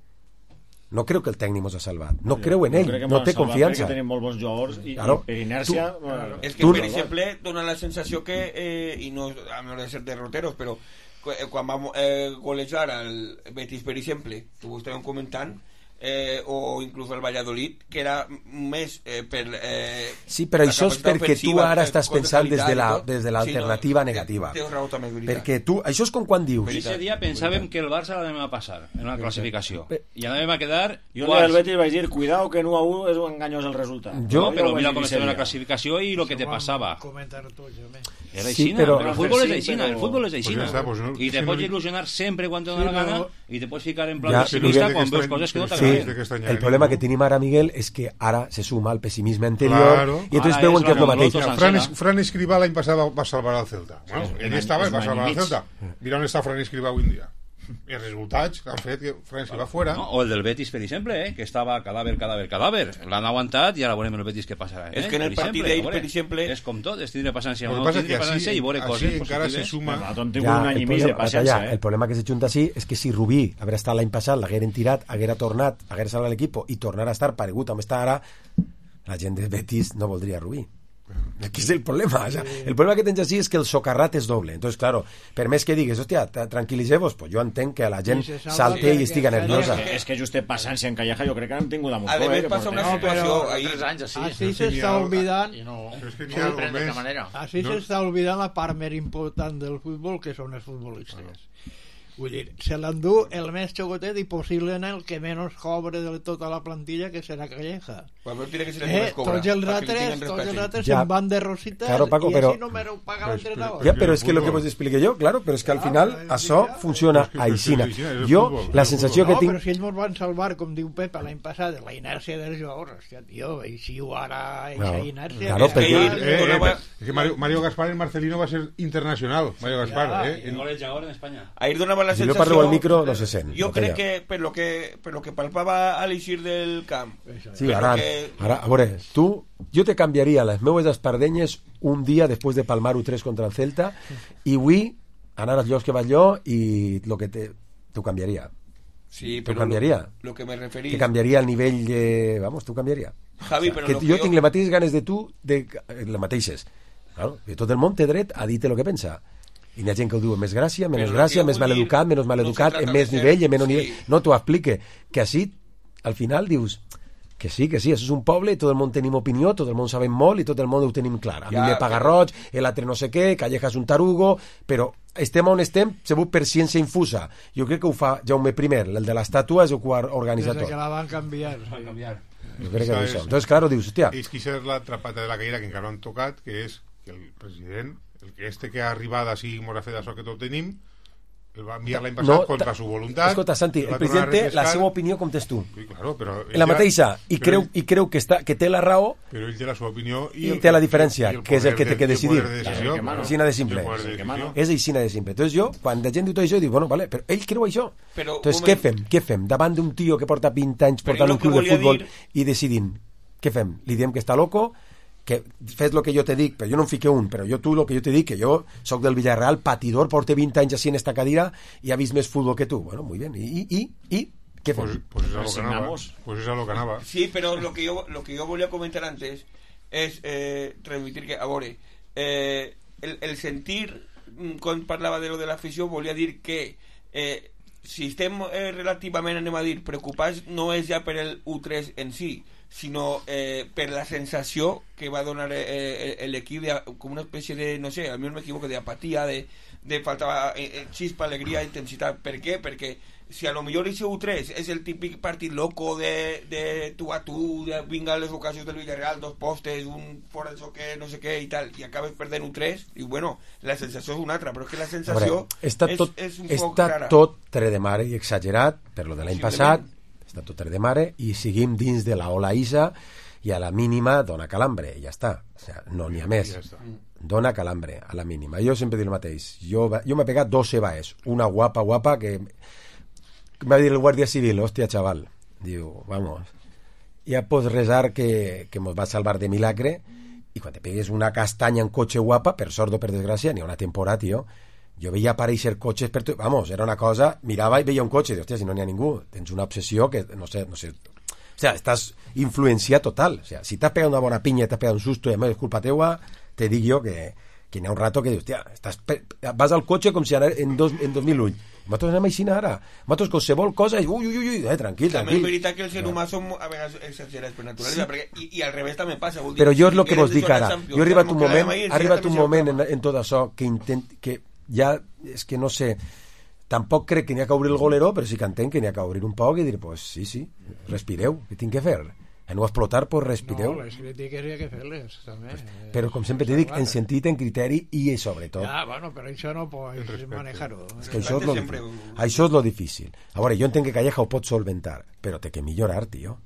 No creo que el tècnic mos ha salvat. No creu en Jo ell, crec que no m'han té salvat confiança. perquè tenim molt bons jugadors i, Claro. i per inèrcia... Tu- bueno, Es que, Tú- per exemple, dona la sensació que, eh, i no a menor de ser derroteros, però cu- eh, quan vam eh, golejar al Betis, per exemple, que ho estàvem comentant, eh, o inclús el Valladolid, que era més eh, per... Eh, Sí, però la això és capacitat perquè tu ofensiva, ara eh, estàs cos de pensant des de qualitat la- i tot. des de l'alternativa Sí, no, negativa. Tens raó també, és veritat. Perquè tu, això és com quan dius... Ese dia pensàvem que el Barça l'anàvem a passar en una classificació i anàvem a quedar jo un dia del Betis vaig dir, cuidao que en u a u és un enganyós el resultat. Jo- no, però ho vaig mira dir com ese estava la dia. classificació i el que te passava. Comentar tots, home. Era Sí, aixina, però- però el futbol és Sí, aixina, però- el futbol és Pues aixina. ja està, pues no- I te si pots no- il·lusionar sempre quan te Sí, dona la gana però- i te pots ficar en plan Ja, pessimista sí, quan sí, veus sí, coses que no sí, Sí, t'agraden. que estranyar, el problema no? que tenim ara, Miguel, és que ara se suma al pessimisme anterior Claro. i entonces Ara veuen és que és la el mateix. Mongoloto Fran, sencera. Es- Fran Escribá l'any passat va, va salvar el Celta. Bueno, Sí, ell és estava i un va any salvar i el mig. Celta. Mira on està Fran Escribá avui en dia. Els resultats han fet que Fran Escribá fuera. No? O el del Betis, per exemple, eh? que estava cadàver, cadàver, cadàver. L'han aguantat i ara veurem el Betis què passarà. Eh? És que en el Per partit exemple, d'ell, a veure, per exemple- És com tot, és tindre paciència Lo o que no passa és tindre que paciència així, i veure així coses encara se positives. suma... Nosaltres hem tingut Ja, un any el, i mig de problema, paciència, ja, eh? el problema que se junta així és que si Rubí haguera estat l'any passat, l'hagueren tirat, haguera tornat, haguera salvat l'equip i tornar a estar paregut amb està ara, la gent de Betis no voldria Rubí. Aquí és el problema. O sea, el problema que tens així és que el socarrat és doble. Entonces, claro, per més que digues, hòstia, tra- tranquil·litzeu-vos, pues jo entenc que la gent I se salva salte que- i estiga que- nerviosa. És que, és que just té paciència en Calleja, jo crec que n'hem tingut a A Montó, més, eh? passa una No, situació però- ahí. Tres anys, així. Així sí, n'hi s'està ha- oblidant, I no... Però és que n'hi no ha ho algo pren de més. cap manera. així No. s'està oblidant la part més important del futbol, que són els futbolistes. Vull dir, se l'endú el més xocotet i possiblement el que menys cobre de tota la plantilla, que serà Calleja. Pues no tiene que ser el Eh, que més cobra, tots els para que li altres, tinguen tots els respecte. altres Ja. se'n van de rositas Claro, Paco, i però- així no me ho paga Però és- l'entrenador. Ja, però el és que el que futbol. vos explique jo, claro, però és que al final Claro, això ja. funciona Però és que- però és que aixina. és aixina, és el Jo, futbol, la és el sensació que No, tinc... però si ells ens van salvar, com diu Pepe l'any passat, de la inèrcia dels jugadors. Hòstia, tio, eixiu ara eixa No, inèrcia. claro, que perquè- ja- Eh, eh, Donava- és que Mario, Mario Gaspar en Marcelino va ser internacional. Mario Gaspar, eh? El golejador en Espanya. Ahir donava la Si jo sensació... parlo al micro no se sent. Jo no crec calla. que per lo que, per lo que palpava a l'eixir del camp, Sí, per ara, lo que... ara, a veure, tu, jo te canviaria les meues espardenyes un dia després de palmar-ho tres contra el Celta i avui anar als llocs que vaig jo i lo que te, t'ho canviaria. Sí, T'ho però canviaria. Lo, lo que me referís... Te canviaria el nivell de... Vamos, t'ho canviaria. Javi, però que lo jo que tinc les mateixes ganes de tu, de, les mateixes. Claro, que tot el món té dret a dir-te el que pensa. I hi ha gent que ho diu amb més gràcia, menys Però gràcia, el que més vull dir, maleducat, menys no maleducat, se en trata més de ser- nivell, en menys sí. nivell. No t'ho explique. Que així, al final, dius que sí, que sí, això és un poble, tot el món tenim opinió, tot el món sabem molt i tot el món ho tenim clar. A Ja, mi me paga però- roig, l'altre no sé què, Calleja és un tarugo, però estem on estem, segur per ciència infusa. Jo crec que ho fa Jaume primer, el de l'estàtua és el que ho organitza Des tot. que la van canviar. Va canviar. Jo crec que Això és això. és- Entonces, claro, dius, hòstia, És que això és la trapata de la caïra que encara no han tocat, que és que el president, el que este que ha arribat així i mos ha fet això que tot tenim, el va enviar l'any passat no, contra su voluntat. Escolta, Santi, el president té la seva opinió com tens tu. Sí, claro, però la mateixa, i creu, ell, i creu que, està, que té la raó, però ell té la seva opinió i, i el, té la diferència, el que és el que té que decidir. Aixina de simple. És aixina de simple. Entonces jo, quan la gent diu tot això, dic, bueno, vale, però ell creu això. Però, Entonces, què fem? Què fem? Davant d'un tio que porta vint anys portant un club de futbol dir... i decidint, què fem? Li diem que està loco, que fes el que jo te dic, però jo no em fique un, però jo tu el que jo te dic, que jo soc del Villarreal, patidor, porte vint anys així en esta cadira i ha vist més futbol que tu. Bueno, muy bien. I, i, i què fem? Pues, pues, es a lo que anava. Pues es a lo que anava. Sí, pero lo que yo, lo que yo volia comentar antes es eh, transmitir que, a veure, eh, el, el sentir, quan parlava de lo de l'afició, volia dir que eh, si estem eh, relativament, anem a dir, preocupats, no és ja per el U tres en si, sinó eh, per la sensació que va donar eh, l'equip com una espècie de, no sé, a mi no m'equivoco, d'apatia, de, de falta eh, xispa, alegria, intensitat. Per què? Perquè si a lo millor ese U tres és el típic partit loco de, de tu a tu, de vinga les ocasions del Villarreal, dos postes, un fora de xoque, no sé què i tal, i acabes perdent U tres, i bueno, la sensació és una altra, però és que la sensació veure, està és, tot, és un està poc rara. tot tre de mare i exagerat per lo de l'any passat, està tot tre de mare, i seguim dins de la ola Isa, i a la mínima dona calambre, i ja està. O sea, no n'hi ha més. Ja dona calambre, a la mínima. Jo sempre dic el mateix. Jo, jo m'he pegat dos sebaes. Una guapa, guapa, que me va dir el guàrdia civil, hòstia, chaval. Diu, vamos, ja pots resar que, que mos va salvar de milagre, i quan te pegues una castanya en cotxe guapa, per sort o per desgràcia, n'hi ha una temporada, tio, jo veia aparèixer cotxes per tu, vamos, era una cosa, mirava i veia un cotxe, i dic, hòstia, si no n'hi ha ningú, tens una obsessió que, no sé, no sé, o sea, estàs influenciat total, o sea, si t'has pegat una bona pinya, t'has pegat un susto i a més és culpa teua, te dic jo que, que n'hi ha un rato que dius, hòstia, estàs pe... vas al cotxe com si anara en, dos, en dos mil vuit, nosaltres anem així ara, nosaltres qualsevol cosa, ui, ui, ui, eh, tranquil, tranquil. També és veritat que el ser humà som a vegades exagerats per naturalesa, sí. perquè, i, i al revés també passa. Vol dir, però jo és el si que vos dic ara, jo he arribat un moment, ir, ha arribat un moment en, en tot això que intent, que ja, és que no sé, tampoc crec que n'hi ha que obrir el goleró, però sí que entenc que n'hi ha que obrir un poc i dir, pues sí, sí, respireu, què tinc que fer? A no explotar, pues respireu. No, les crítiques hi ha que fer-les, també. Pues, però, com sempre t'he dit, en sentit, en criteri i sobretot. Ja, bueno, però això no pots manejar-ho. És que això és, lo, això és lo difícil. A veure, jo entenc que Calleja ho pot solventar, però té que millorar, tio.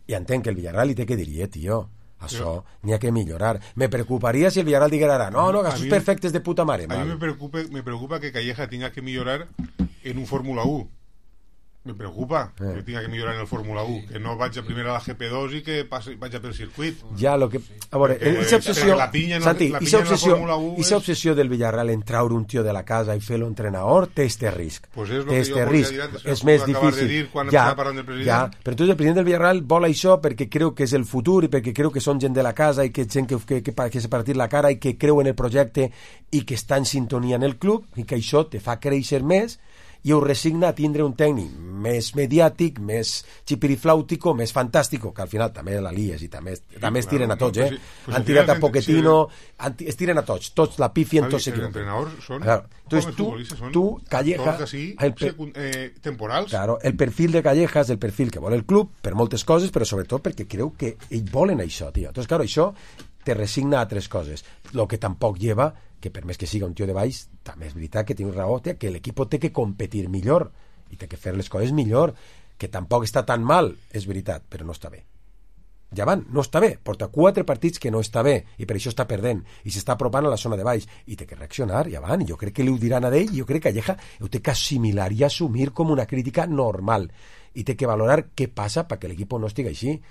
I entenc que el Villarreal li té que dir, eh, tio, això n'hi ha que millorar. Me preocuparia si el Villarreal diguera ara, no, no, gastos perfectes de puta mare. A mi me preocupa, me preocupa que Calleja tenga que millorar en un Fórmula uno. Me preocupa eh. que tenga que millorar en el Fórmula uno, que no vaig a primer a la G P dos i que passi, vaig a per circuit. Ja, lo que... A veure, aquesta obsessió... La pinya no, Santi, la aquesta obsessió, és... obsessió del Villarreal en traure un tio de la casa i fer-lo entrenador té este risc. Pues és té este risc. Antes, és més difícil. De ja, ja, però tu el president del Villarreal vol això perquè creu que és el futur i perquè creu que són gent de la casa i que gent que, que, que, que s'ha partit la cara i que creu en el projecte i que està en sintonia en el club i que això te fa créixer més i ho resigna a tindre un tècnic més mediàtic, més xipiriflàutico, més fantàstico, que al final també la lies i també, sí, també es tiren a tots, eh? Pues, han tirat a Pochettino, si es tiren a tots, tots la pifien, tots s'equivoquen. Els entrenadors són, claro. Entonces, tu, són tu, Calleja, així, el per, eh, temporals. Claro, el perfil de Calleja és el perfil que vol el club per moltes coses, però sobretot perquè creu que ells volen això, tio. Entonces, claro, això te resigna a tres coses. Lo que tampoc lleva que per més que siga un tio de baix, també és veritat que té un raó, que l'equip té que competir millor i té que fer les coses millor, que tampoc està tan mal, és veritat, però no està bé. Ja van, no està bé, porta quatre partits que no està bé i per això està perdent i s'està apropant a la zona de baix i té que reaccionar, ja van, i jo crec que li ho diran a ell i jo crec que Calleja ho té que assimilar i assumir com una crítica normal i té que valorar què passa perquè l'equip no estigui així.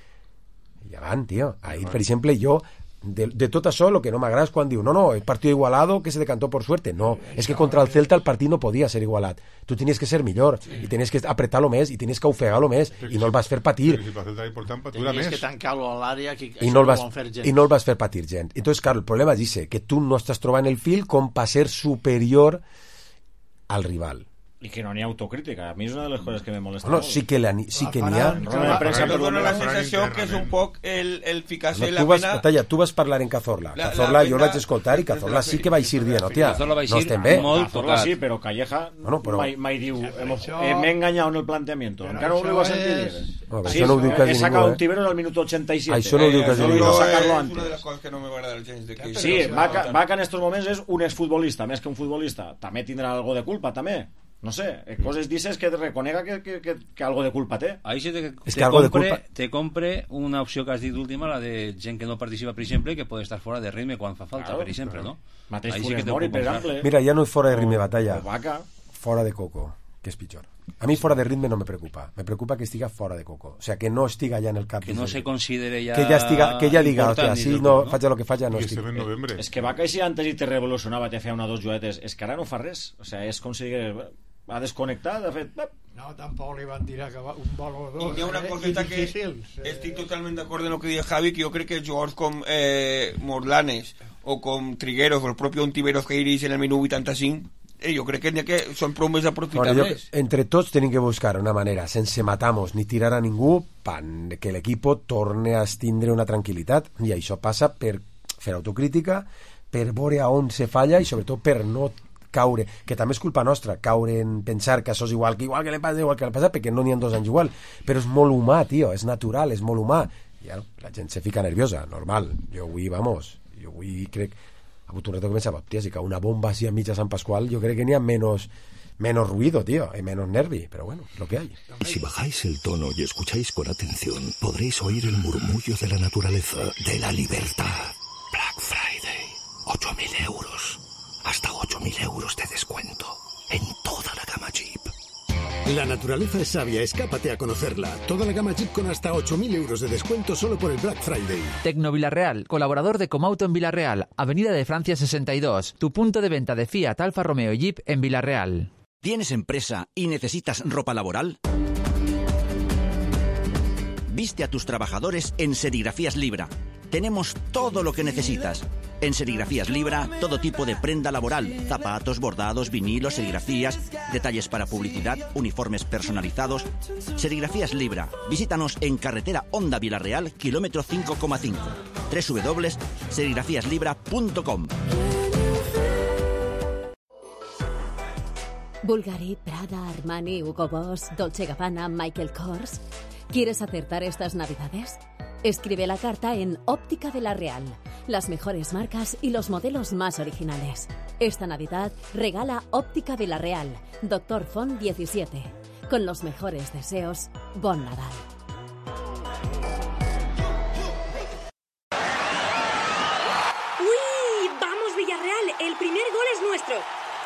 Ja van, tio, ahir, per exemple, jo De, de tot això, el que no m'agrada és quan diu no, no, el partit igualado que se decantó por suerte. No, és que contra el Celta el partit no podia ser igualat. Tu tenies que ser millor sí. i tenies que apretar-lo més i tenies que ofegar-lo més i no el vas fer patir. Tenies que tancar-lo a l'àrea que I no, el vas, i no el vas fer patir gent. Entonces, claro, el problema és ese, que tu no estàs trobant el fil com per ser superior al rival. I que no n'hi ha autocrítica. A mi és una de les coses que me molesta no, molt. Sí que, la, sí que n'hi ha. Però dona la sensació que és un poc el, el ficar-se no, la vas, pena... Talla, tu vas parlar en Cazorla. La, Cazorla la, jo el vaig escoltar i Cazorla sí que va eixir dient, hòstia, no estem bé. Cazorla sí, però Calleja bueno, però... mai, mai diu m'he enganyat en el planteamiento. Encara no ho diu a sentir dir. No, sí, això no ho diu quasi ningú. He sacat un Tiberos al minut ochenta y siete. Això no ho diu quasi ningú. No sacar-lo antes. És una de les coses que no m'agrada gens de que... Sí, Vaca en estos moments és un exfutbolista, més que un futbolista. També tindrà algo de culpa, també. No sé, coses dices que reconega que, que, que, que algo de culpa té. Ahí sí te, Es te, que algo de compre, culpa- te compre una opció que has dit última, la de gent que no participa, per exemple, que pot estar fora de ritme quan fa falta, Claro, per exemple, claro. no? Mateix Ahí sí Funes que te ho Mori, puc per comprar. exemple. Mira, ya no es fuera de ritme O- batalla, o Vaca. fora de coco, que és pitjor. A mi fora de ritme no me preocupa, me preocupa que estiga fora de coco, o sea, que no estiga ja en el cap. Que no se considere ja... Que ja estiga, que ja diga, important hòstia, dins si del no, club, faig el que faig, no I estic. estem en novembre. És que Vaca, si antes i te revolucionava, te feia una o dos juguetes, és que ara no fa res. O sea, és com si digués, ha desconnectat, ha fet... No, tampoc li van tirar que va- un valor o dos. Y hay una eh, cosita i que difícils, eh. estoy totalmente de acuerdo en lo que dice Javi, que yo creo que jugadors com eh, Morlanes o com Trigueros o el propio Ontiveros que iris en el minut vuitanta-cinc, eh, jo crec que, n'hi ha que són prou més Ahora, aprofitables. yo- entre tots tenim que buscar una manera, sense matamos ni tirar a ningú, pan, que l'equipo torne a tindre una tranquil·litat, i això passa per fer autocrítica, per veure a on se falla i sobretot per no caure, que també és culpa nostra, caure en pensar que això és igual que igual que le passa, igual que le passa, perquè no n'hi ha dos anys igual, però és molt humà, tio, és natural, és molt humà, i ara, la gent se fica nerviosa, normal, jo avui, vamos, jo avui crec, ha hagut un reto que pensava, hòstia, si cau una bomba així a mitja Sant Pasqual, jo crec que n'hi ha menos, menos ruido, tío, y menos nervi, pero bueno, es lo que hay. Y si bajáis el tono y escucháis con atención, podréis oír el murmullo de la naturaleza, de la libertad. Black Friday, ocho mil euros. Hasta ocho mil euros de descuento en toda la gama Jeep. La naturaleza es sabia, escápate a conocerla. Toda la gama Jeep con hasta ocho mil euros de descuento solo por el Black Friday. Tecno Villarreal, colaborador de Comauto en Villarreal, Avenida de Francia sesenta y dos, tu punto de venta de Fiat, Alfa Romeo y Jeep en Villarreal. ¿Tienes empresa y necesitas ropa laboral? Viste a tus trabajadores en Serigrafías Libra. Tenemos todo lo que necesitas. En Serigrafías Libra, todo tipo de prenda laboral, zapatos, bordados, vinilos, serigrafías, detalles para publicidad, uniformes personalizados. Serigrafías Libra. Visítanos en carretera Honda Villarreal, kilómetro cinco coma cinco. doble u doble u doble u punto serigrafías libra punto com. Bulgari, Prada, Armani, Hugo Boss, Dolce Gabbana, Michael Kors. ¿Quieres acertar estas navidades? Escribe la carta en Óptica Villarreal. Las mejores marcas y los modelos más originales. Esta Navidad regala Óptica Villarreal, Doctor Font diecisiete. Con los mejores deseos, Bon Nadal. ¡Uy! ¡Vamos, Villarreal! El primer gol es nuestro.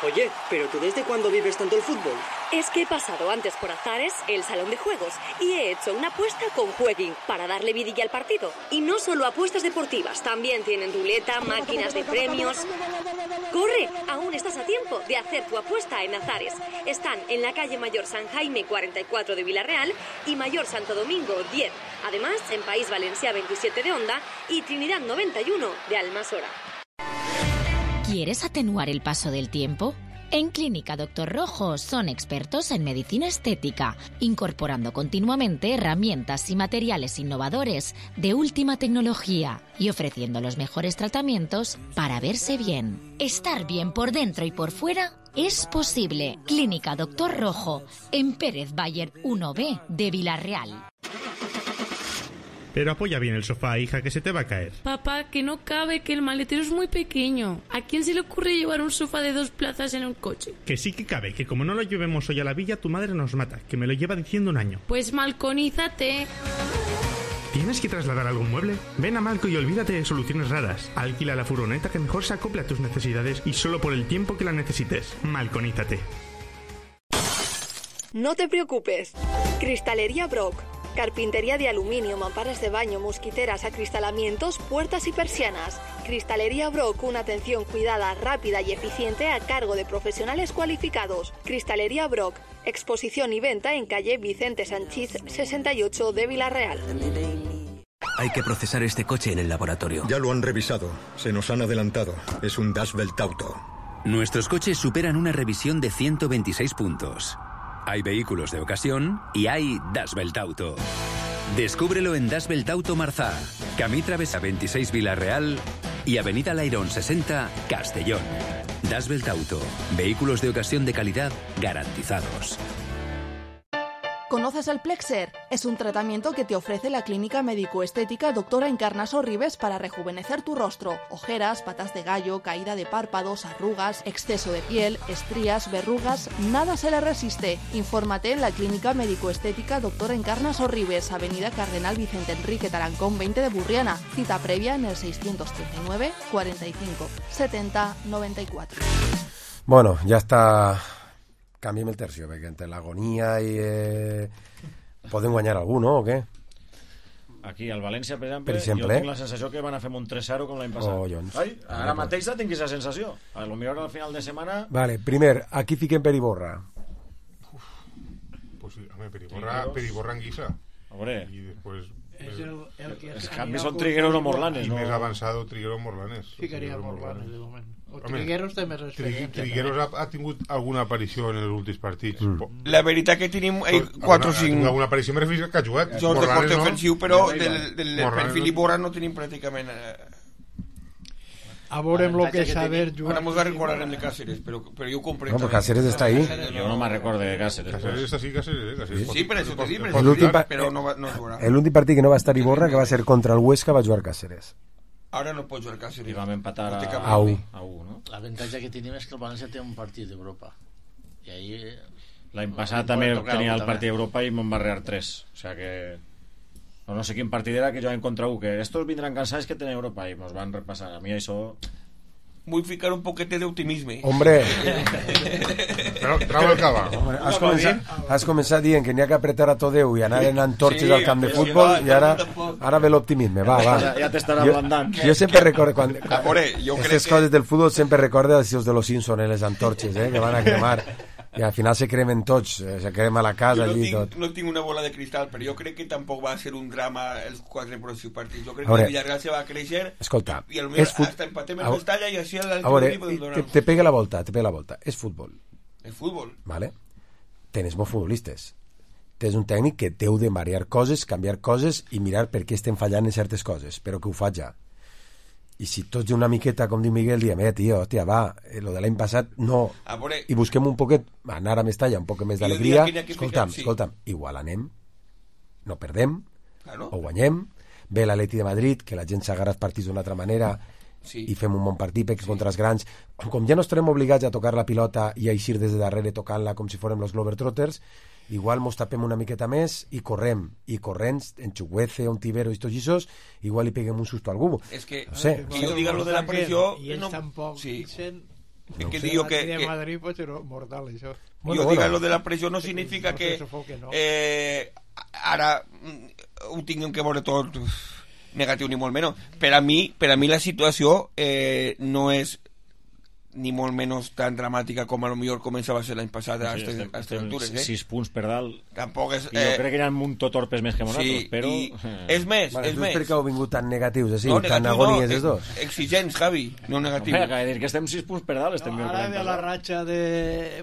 Oye, ¿pero tú desde cuándo vives tanto el fútbol? Es que he pasado antes por Azares, el salón de juegos, y he hecho una apuesta con Jueguin para darle vidilla al partido. Y no solo apuestas deportivas, también tienen ruleta, máquinas de premios. ¡Corre! Aún estás a tiempo de hacer tu apuesta en Azares. Están en la calle Mayor San Jaime cuarenta y cuatro de Villarreal y Mayor Santo Domingo diez. Además, en País Valencia veintisiete de Onda y Trinidad noventa y uno de Almasora. ¿Quieres atenuar el paso del tiempo? En Clínica Doctor Rojo son expertos en medicina estética, incorporando continuamente herramientas y materiales innovadores de última tecnología y ofreciendo los mejores tratamientos para verse bien. Estar bien por dentro y por fuera es posible. Clínica Doctor Rojo, en Pérez Bayer uno B de Villarreal. Pero apoya bien el sofá, hija, que se te va a caer. Papá, que no cabe, que el maletero es muy pequeño. ¿A quién se le ocurre llevar un sofá de dos plazas en un coche? Que sí que cabe, que como no lo llevemos hoy a la villa, tu madre nos mata, que me lo lleva diciendo un año. Pues malconízate. ¿Tienes que trasladar algún mueble? Ven a Malco y olvídate de soluciones raras. Alquila la furgoneta que mejor se acople a tus necesidades y solo por el tiempo que la necesites. Malconízate. No te preocupes. Cristalería Brock. Carpintería de aluminio, mamparas de baño, mosquiteras, acristalamientos, puertas y persianas. Cristalería Brock, una atención cuidada, rápida y eficiente a cargo de profesionales cualificados. Cristalería Brock, exposición y venta en calle Vicente Sanchís sesenta y ocho de Villarreal. Hay que procesar este coche en el laboratorio. Ya lo han revisado. Se nos han adelantado. Es un Dashbelt Auto. Nuestros coches superan una revisión de ciento veintiséis puntos. Hay vehículos de ocasión y hay Dashbelt Auto. Descúbrelo en Dashbelt Auto Marzá, Camí Travesa veintiséis Villarreal y Avenida Lairón sesenta Castellón. Dashbelt Auto. Vehículos de ocasión de calidad garantizados. ¿Conoces el Plexer? Es un tratamiento que te ofrece la clínica médico-estética Doctora Encarna Sorribes para rejuvenecer tu rostro. Ojeras, patas de gallo, caída de párpados, arrugas, exceso de piel, estrías, verrugas, nada se le resiste. Infórmate en la clínica médico-estética Doctora Encarna Sorribes, Avenida Cardenal Vicente Enrique Tarancón veinte de Burriana. Cita previa en el seiscientos treinta y nueve, cuarenta y cinco, setenta, noventa y cuatro. Bueno, ja està... Canviem el tercio, perquè entre l'agonia i... Eh... Podem guanyar algú, no? O què? Aquí, al València, per exemple, per exemple, jo tinc la sensació que van a fer un tres zero com l'any passat. Oh, doncs. Ai, ara mateix tinc aquesta sensació. A lo millor al final de setmana... Vale, primer, aquí fiquem per Iborra. Pues sí, home, per Iborra, per Iborra en guisa. Hombre. Y después... Es el, el que els canvis són Trigueros o Morlanes, i no? més avançado Trigueros o Morlanes. Ficaria Morlanes, de moment. O Home, Trigueros té més experiència. Trigueros ha, ha tingut alguna aparició en els últims partits. Mm. La veritat que tenim eh, quatre o cinc... Alguna aparició me refereixo que ha jugat. Jocs de porter no? ofensiu, però del, del Morlanes perfil no. Iborra no tenim pràcticament... Eh... A veure lo que saber jugar. Ara mos recordarem de Cáceres, però, però jo ho compré. No, però Cáceres està ahí. Jo no me recordo de Cáceres. Cáceres està sí, Cáceres, eh? Cáceres Sí, per això t'ho dic, però no, no jugarà. L'últim partit que no va estar Iborra, que va ser contra el Huesca, va jugar Cáceres. Ara no pot jugar Cáceres. I vam empatar a, a u. A u, no? L'avantatge que tenim és que el València té un partit d'Europa. I ahí... L'any passat també tenia el partit d'Europa i me'n va rear tres. O sea que... No, no sé quin partit era que jo vam contra u, que estos vindran cansats que tenen Europa i mos van repassar. A mi això... Vull ficar un poquete d'optimisme. Hombre. Però trau el cava. Hombre, has, començat, has començat dient que n'hi ha que apretar a tot Déu i anar en antorxes sí, al camp de futbol sí, i ara, ara ve l'optimisme. Va, va. Ja, ja t'estarà ablandant. Jo, jo sempre recordo quan, quan Amore, jo aquestes crec coses que... del futbol sempre recordo els de los Simpsons en les antorxes, eh, que van a cremar. I al final se cremen tots, se crema la casa no allí tinc, tot. No tinc una bola de cristal, però jo crec que tampoc va ser un drama els quatre pròxims partits. Jo crec que veure, el Villarreal se va a créixer escolta, i potser fut... hasta empatem en Mestalla i així el veure, equip te, te pega la volta, te pega la volta. És futbol. És futbol. Vale? Tens molts futbolistes. Tens un tècnic que deu de marear coses, canviar coses i mirar per què estem fallant en certes coses, però que ho fa ja. I si tots una miqueta, com diu Miguel, diem, eh, tio, hòstia, va, eh, lo de l'any passat, no. Veure... I busquem un poquet, anar a Mestalla, un poc més d'alegria. Escolta'm, sí. escolta'm, igual anem, no perdem, claro. o guanyem, ve l'Atleti de Madrid, que la gent s'agarra els partits d'una altra manera, sí. i fem un bon partit, perquè sí. contra els grans, com ja no estarem obligats a tocar la pilota i a eixir des de darrere tocant-la com si fórem los Globetrotters, igual mos tapem una miqueta més i correm, i corrents en Chuguece, un Tibero i tots aquests, igual li peguem un susto a algú. És que, no sé, que jo diga lo de la pressió... I ells no, tampoc sí. dicen... Es que digo que, de que Madrid pot ser mortal, això. Bueno, jo bueno. diga lo de la pressió no significa que eh, ara ho tinguem que veure tot negatiu ni molt menys. Per a mi, per a mi la situació eh, no és ni molt menys tan dramàtica com a lo millor començava a ser l'any passat a aquestes sí, este, altures, eh? sis punts per dalt. Tampoc és... I jo crec que eren un tot torpes més que nosaltres, sí, però... I, és més, vale, és més. Per què heu vingut tan negatius, així, no, tan agonies no, els dos? Exigents, Javi, no negatius. Home, acaba de dir que estem sis punts per dalt, estem no, ara ve la ratxa de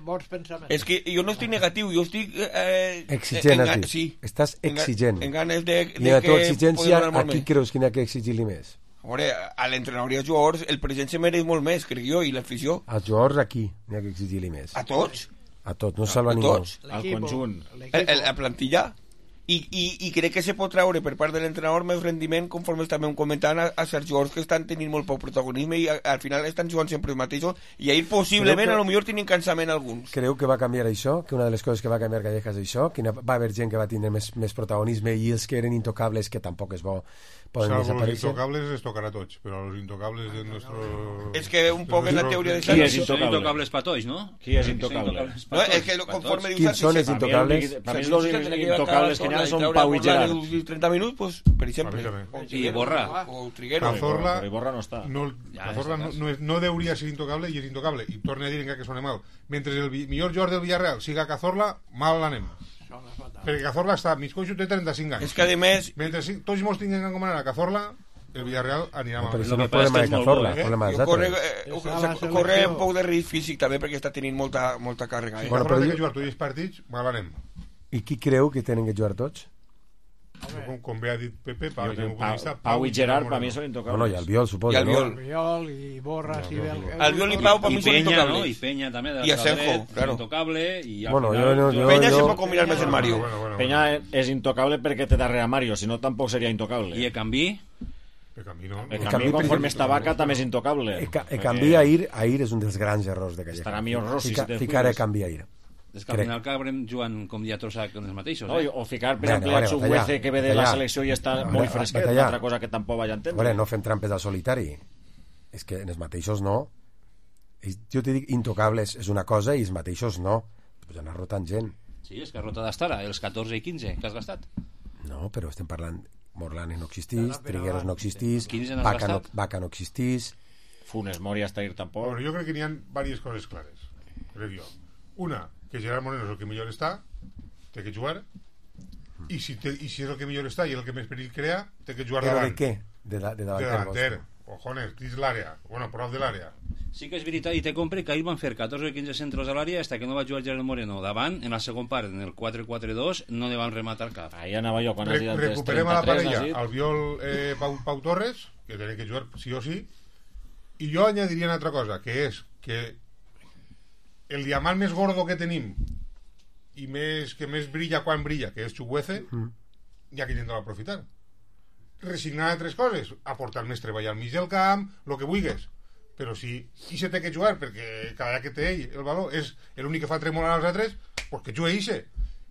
bons pensaments. És que jo no estic negatiu, jo estic... Eh, exigent, en, en, sí. Estàs exigent. En, en ganes de, de I a tu que... exigència, a qui creus que n'hi ha que exigir-li més? Veure, a l'entrenador i als jugadors el present se mereix molt més, crec jo, i l'afició. Als jugadors aquí n'hi ha que exigir-li més. A tots? A tots, no salva a ningú. Al conjunt. La plantilla. I, i, I crec que se pot treure per part de l'entrenador més rendiment, conforme també ho comentant, a, a certs jugadors que estan tenint molt poc protagonisme i a, al final estan jugant sempre els mateixos i ahir possiblement que, a lo millor tenen cansament alguns. Creu que va canviar això? Que una de les coses que va canviar Callejas és això? Que va haver gent que va tindre més, més protagonisme i els que eren intocables, que tampoc és bo, poden Salvo desaparèixer. Los intocables les tocarà tots, però los intocables de nuestro... És que un poc en la teoria de... Qui és intocable? Intocables patoix, no? Qui és intocable? No, és que conforme dius... Quins són els intocables? Per mi els intocables que n'hi ha són Pau i Gerard. trenta minuts, pues, per exemple. I Borra. O Triguero. Cazorla, però Borra no està. No, Cazorla no, no, és, no deuria ser intocable i és intocable. I torne a dir encara que sona mal. Mentre el millor jugador del Villarreal siga Cazorla, mal l'anem. Perquè Cazorla està mig coixo, té trenta-cinc anys. És que a més... Mentre tots molts tinguin que encomanar a Cazorla, el Villarreal anirà mal. Però això no és problema de Cazorla, és problema dels altres. Corre un poc de risc físic també perquè està tenint molta, molta càrrega. Si Cazorla té que jugar tots els partits, mal anem. I qui creu que tenen que jugar tots? Com, com bé ha dit Pepe, Pau, Jo, Pau, Pau i Gerard per mi són intocables. Bueno, i el Biol, suposo. I el Biol. El Biol i Borras i... El, el Biol i Pau per mi són Peña, intocables. ¿no? Y Peña també. I Asenjo, claro. Intocable. I Bueno, al final, jo, jo, Peña jo, se pot combinar més el Mario. Bueno, bueno, Peña és intocable perquè té darrere a Mario, si no tampoc seria intocable. I Ekambi? Ekambi no. Ekambi, conforme està Vaca, també és intocable. Ekambi a Ir, a Ir és un dels grans errors de Calleja. Estarà millor Rossi, Fica, si te ficar cuides. Ekambi a Ir. És que al final acabarem jugant com dia trossa con els mateixos, No, eh? o ficar, per Bueno, exemple, vale, a Chukwueze, batalla, que ve de la batalla. selecció i està Vale, molt fresquet, batalla. una altra cosa que tampoc vaig entendre. Veure, no fem trampes al solitari. És que en els mateixos no. I jo t'he dit intocables és una cosa i els mateixos no. Pues anar rotant gent. Sí, és que rota d'Astara, els catorze i quinze que has gastat. No, però estem parlant... Morlane no existís, Trigueros no existís, quinze n'has Vaca no, gastat? Vaca no existís... Funes Mori hasta ir tampoc. Bueno, jo crec que n'hi ha diverses coses clares. Crec jo. Una, que Gerard Moreno és el que millor està, té que jugar, i si, té, i si és el que millor està i el que més perill crea, té que jugar Però davant. de què? De, la, de De davanter. davanter. Cojones, dins l'àrea. Bueno, prop de l'àrea. Sí que és veritat, i te compre que ahir van fer catorze o quinze centros a l'àrea hasta que no va jugar Gerard Moreno davant, en la segon part, en el quatre quatre dos, no li van rematar cap. Ahí anava jo quan has Re dit antes recuperem a la trenta-tres, parella has dit. al Biol eh, Pau, Pau Torres, que tiene que jugar sí o sí, i jo añadiria una altra cosa, que és que el diamant més gordo que tenim i més, que més brilla quan brilla, que és Chukwueze, Mm. ja que intentar aprofitar. Resignar a tres coses, aportar més treball al mig del camp, el que vulguis, però si i se té que jugar perquè cada que té ell el valor és l'únic que fa tremolar als altres, pues que jugue ixe,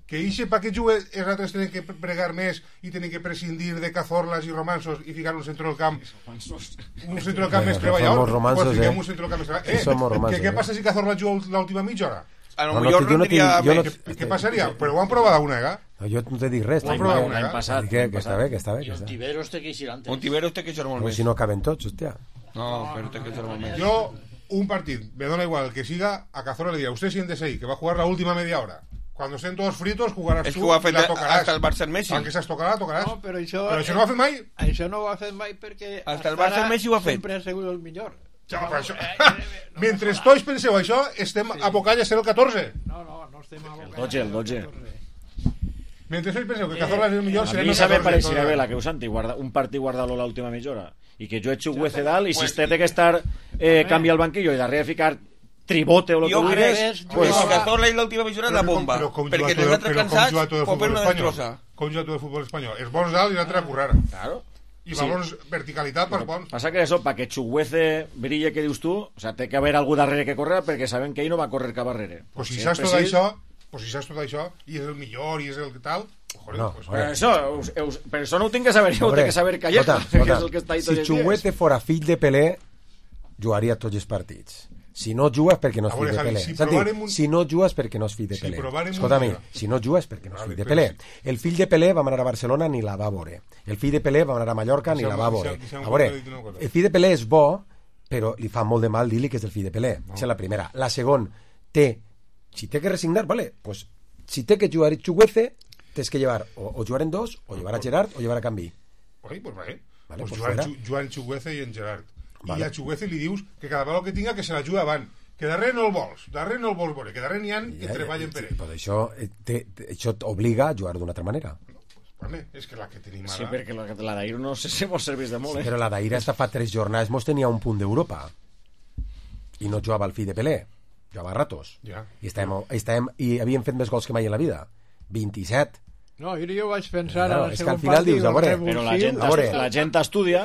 que ixe pa que jugue els altres tenen que pregar més i tenen que prescindir de Cazorlas i Romansos i ficar un centre del camp un centre del camp més treballador. Somos romansos, Pues fiquem eh? un centre del camp més treballador. Sí, somos Eh, romansos, que, què eh? passa si Cazorla juga l'última mitja hora? A lo No, no, millor que jo no rendria tinc- jo no- més. Què, què passaria? Però ho han provat alguna vegada. No, jo no t'he dit res. Ho han L'any provat l'any alguna vegada. passat. Que, que està bé, que està bé. I Que està. Ontiveros té que eixir antes. Ontiveros té que jugar molt Però més. si no caben tots, hòstia. No, però té que jugar molt més. Yo, un partido, me da igual el que siga, a Cazorla le diría, usted siéntese ahí, que va a jugar la última media hora. Cuando estén todos fritos, jugaràs És que tu ho ha i fet la tocaràs. hasta el Barça en Messi. Aunque se'ls tocarà, tocaràs. No, però això... Però això no ho ha fet mai. Això no ho ha fet mai perquè... Hasta el hasta Barça ara Messi ho ha fet. Sempre ha sigut el millor. Ja, però això... Mentre tots penseu això, estem abocant a ser el catorze. No, no, no estem abocant. El dotze, el dotze. Mentre tots penseu que Cazorla és el millor, A serem mi el sabe catorze. pareixia bé la que us Santi, guarda, un partit guardar-lo l'última mitja hora i que jo he Chukwueze dalt i si este té que estar eh, canvia el banquillo i darrere ficar tribote o lo que Jo crec vulguis que pues, el Cazorla i l'última mitja hora és la bomba. Però com Perquè juga els tot- altres però com cansats juga tot el pot fer futbol una espanyol? destrossa. Com juga tot el futbol espanyol? Els bons dalt i l'altre a currar. Claro. I Sí. valors verticalitat pels bons. Passa que això, para que Chukwueze brille que dius tu, o sea, té que haver algú darrere que corre perquè saben que ell no va a correr cap darrere. Pues si Sí, saps tot sí. això, pues si saps tot això, i és el millor, i és el que tal, joder, No, pues, Però això, us, us, però això no ho tinc que saber jo, ho Hombre, té que saber Calleja, escolta, que és escolta, el que està ahí si tots els dies. Chukwueze fora fill de Pelé, jugaria tots els partits. Si no jugues perquè no és A fill veure, de Javi, Pelé. si Santi, provarem un- si no jugues perquè no és fill de Si Pelé. provarem un Escolta'm, dia- si no jugues perquè no és Vale, fill de però Pelé. si- El fill de Pelé va anar a Barcelona ni la va veure. El fill de Pelé va anar a Mallorca ni Deixa'm- la va deixa'm- veure. deixa'm A veure, dir una cosa. el fill de Pelé és bo, però li fa molt de mal dir-li que és el fill de Pelé. No. Aquesta és la primera. La segona, té, si té que resignar, vale, pues, si té que jugar Chukwueze, tens que llevar o, o jugar en dos, o llevar a Gerard, o llevar a Canvi. Oi, pues vale. Vale, pues pues Joan, fuera. Chu- Joan Chukwueze i en Gerard. Vale. I a Chukwueze li dius que cada vegada que tinga que se la juga avant. Que darrere no el vols, darrere no el vols veure, que darrere n'hi ha que Ja, treballen ja, per sí, ell. Però això, eh, té, té- això t'obliga a jugar d'una altra manera. Vale, és que la que tenim ara... Sí, perquè la, la d'ahir no sé si mos serveix de molt, eh? Però la d'ahir hasta fa tres jornades mos tenia un punt d'Europa i no jugava el fill de Pelé, jugava a ratos. Ja. I, estàvem, estàvem, i havíem fet més gols que mai en la vida. vint-i-set. No, jo, jo vaig pensar Claro, en el és que segon al final partit, dius, a el veure, Però la gent, A veure. la gent estudia,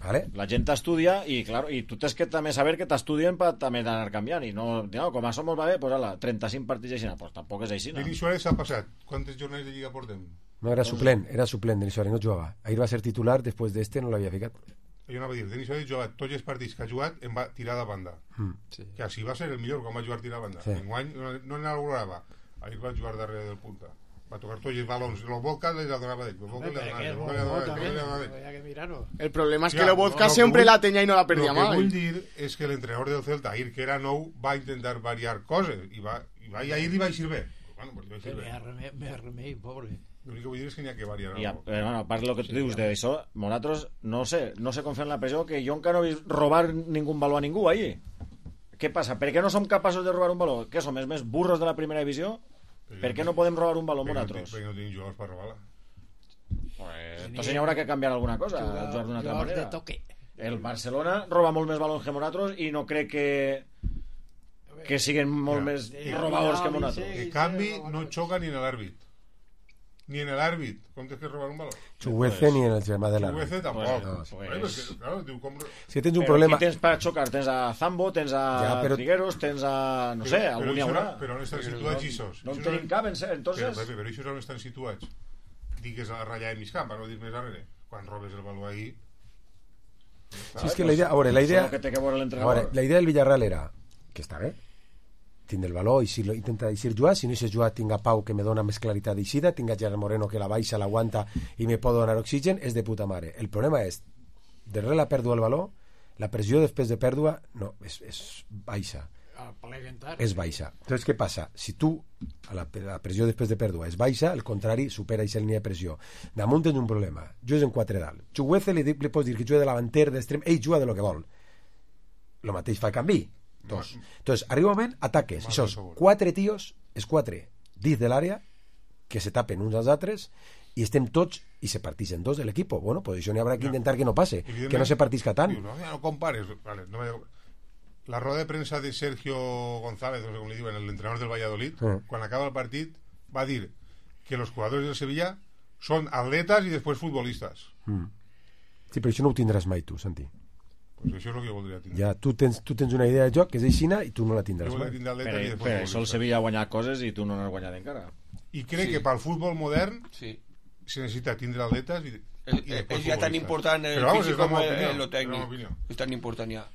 Vale? la gent estudia i, claro, i tu tens que també saber que t'estudien per també d'anar canviant i no, no, com això molt va bé, pues ala, trenta-cinc partits així, pues tampoc és així, no? Denis Suárez s'ha passat. Quantes jornades de Lliga portem? No, era suplent, era suplent Denis Suárez, no jugava. Ahir va ser titular, després d'este no l'havia ficat. Jo anava a dir, Denis Suárez ha jugat tots els partits que ha jugat en va tirar de banda. Mm. Sí. Que així va ser el millor quan va jugar tirar de banda. Sí. Enguany no, no n'elaborava. Ahir va jugar darrere del punta. Va tocar tots els balons. Los Volca les donava d'ell. Los Volca les donava d'ell. Los Volca les donava d'ell. Los Volca les donava d'ell. Había que mirarlo. El problema es que Ya, Lobotka lo que siempre vull- la tenía y no la perdía Lo que más. vull dir és que l'entrenador del Celta, ahir que era nou, va intentar variar coses i va, i va, i ahir li va eixir bé. Bueno, pues li va eixir bé. Me remei, me remei, pobre. L'únic que vull dir és que n'hi ha que variar. I, a, algo. però, bueno, a part del que tu dius d'això, nosaltres no sé, no sé com fer la pressió que jo encara no he vist robar ningú baló a ningú ahí. Què passa? Per què no som capaços de robar un baló? Què som, els més burros de la primera divisió? Per què no podem robar un baló Perquè no, nosaltres? perquè no tenim jugadors per robar-la. Pues, entonces haurà que canviar alguna cosa, jugar d'una altra manera. De toque. El Barcelona roba molt més balons que nosaltres i no crec que que siguin molt més robadors que nosaltres. En canvi, no xoca ni en l'àrbit. Ni en l'àrbit. Com tens que robar un baló? Chuguece ni en el germà de l'àrbit. Chuguece tampoc. No, pues, pues, claro, diu, com... Si tens un però problema... aquí tens per xocar, tens a Zambo, tens a ja, però... Trigueros, tens a... no sé, però, algun hi haurà. Però on estan situats, Ixos? No en tenim cap, entonces... Però, però, però Ixos on estan situats? Digues a ratllar en mig camp, per no dir més darrere. Quan robes el baló ahí... Sí, és que la idea... A veure, la idea... A veure, la idea del Villarreal era que està bé, tindre el valor i si lo intenta eixir jugar, si no eixes jugar tinga Pau que me dona més claritat d'eixida, tinga Gerard Moreno que la baixa, l'aguanta i me pot donar oxigen, és de puta mare. El problema és, darrere la pèrdua del valor, la pressió després de pèrdua no, és, és baixa. És baixa. Entonces, què passa? Si tu, a la, la pressió després de pèrdua és baixa, el contrari supera aquesta línia de pressió. Damunt tens un problema. Jugues en quatre dalt. Chuguece li, li pots dir que juga de davanter, d'extrem, ell juga de lo que vol. Lo mateix fa el canvi. Dos. Entonces, arriba un moment, ataques. I sos quatre tios, és quatre, dins de l'àrea, que se tapen uns als altres, i estem tots, i se partixen dos de l'equip. Bueno, pues això n'hi haurà que intentar que no passe, que no se partisca tant. No, no compares. Vale, no me... La roda de premsa de Sergio González, no sé com li diuen, l'entrenador del Valladolid, mm. quan acaba el partit, va dir que los jugadores del Sevilla son atletas y después futbolistas. Mm. Sí, però això no ho tindràs mai tu, Santi. Pues això és el que jo voldria tindre. Ja, tu tens, tu tens una idea de joc que és aixina i tu no la tindràs mai. Per, per això el Sevilla ha guanyat coses i tu no n'has guanyat encara. I crec sí. que pel futbol modern sí. se necessita tindre atletes i, i és ja tan important el físic com el tècnic. És tan important ja.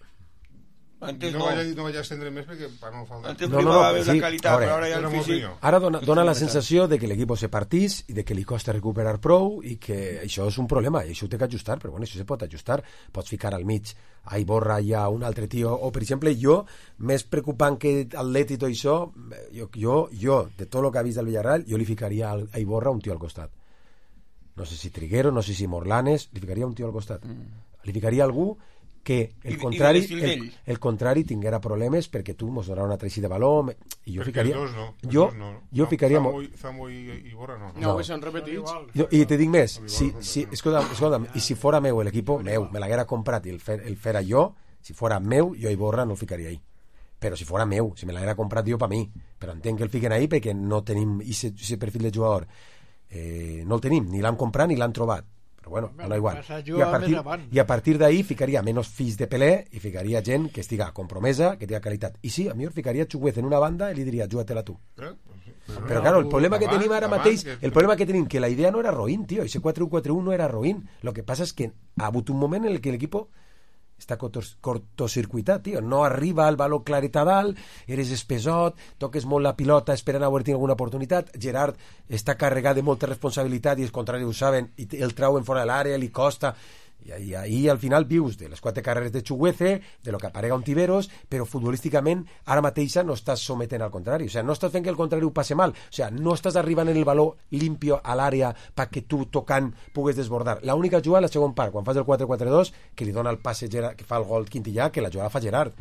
Antes no, no. Vaig, no vaig a estendre més perquè per no faltar. Antes no, no, no, la sí, qualitat, ara, però ara ja el físic... Ara dona, dona la sensació de que l'equip se partís i de que li costa recuperar prou i que això és un problema i això ho té que ajustar, però bueno, això se pot ajustar. Pots ficar al mig a Iborra hi ha un altre tio, o per exemple jo, més preocupant que Atlet i tot això, jo, jo, jo de tot el que ha vist del Villarreal, jo li ficaria a Iborra un tio al costat. No sé si Triguero, no sé si Morlanes, li ficaria un tio al costat. Mm. Li ficaria algú que el I, contrari i el, el contrari tinguera problemes perquè tu mos donarà una treixida de valor i jo perquè ficaria dos no, jo, no. jo no, ficaria Zambo, Zambo i, i Borra no no, no. s'han repetits jo, i te dic més si, si, escolta'm, escolta'm, i si fora meu l'equip meu, me l'haguera comprat i el, fer, el fera jo, si fora meu jo i Borra no el ficaria ahí però si fora meu, si me l'haguera comprat jo per mi però entenc que el fiquen ahí perquè no tenim aquest perfil de jugador eh, no el tenim, ni l'han comprat ni l'han trobat bueno, no igual. I a partir, i a partir d'ahí ficaria menys fills de Pelé i ficaria gent que estiga compromesa, que tinga qualitat. I sí, a mi ficaria Chuguez en una banda i li diria, juga-te-la tu. Eh? Però, però claro, el problema que tenim ara mateix, el problema que tenim, que la idea no era roïn, tio, ese quatre u quatre u no era roïn. Lo que passa és que ha hagut un moment en el que l'equip està cortocircuitat, tio. No arriba el valor claret a dalt, eres espesot, toques molt la pilota esperant a haver-hi alguna oportunitat. Gerard està carregat de molta responsabilitat i els contraris ho saben i el trauen fora de l'àrea, li costa. I ahí al final vius de les quatre carreres de Chuguece, de lo que aparega un Tiberos, però futbolísticament ara mateixa no estàs sometent al contrari, o sigui, no estàs fent que el contrari ho passe mal, o sigui, no estàs arribant en el valor limpio a l'àrea perquè tu tocant pugues desbordar. L'única jugada a la segon part, quan fas el quatre quatre dos, que li dona el passe Gerard, que fa el gol Quintillà, que la jugada fa Gerard.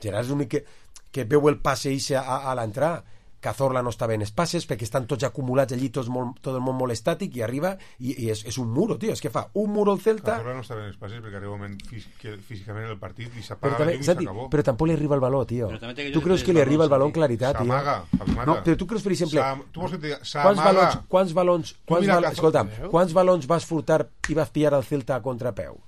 Gerard és l'únic que, que veu el passe eixe a, a l'entrada. Cazorla no està bé en els passes perquè estan tots acumulats allí, tots molt, tot el món molt estàtic i arriba i, i és, és un muro, tio, és que fa un muro al Celta. Cazorla no està bé en els passes perquè arriba un moment fís, que, físicament en el partit i s'apaga la llum i s'acabó. Però tampoc li arriba el valor, tio. Tu creus que li arriba el valor en claritat, tio? S'amaga, no, però tu creus, per exemple, tu vols que te diga, quants balons, quants balons, quants balons, escolta'm, quants balons vas furtar i vas pillar al Celta a contrapeu?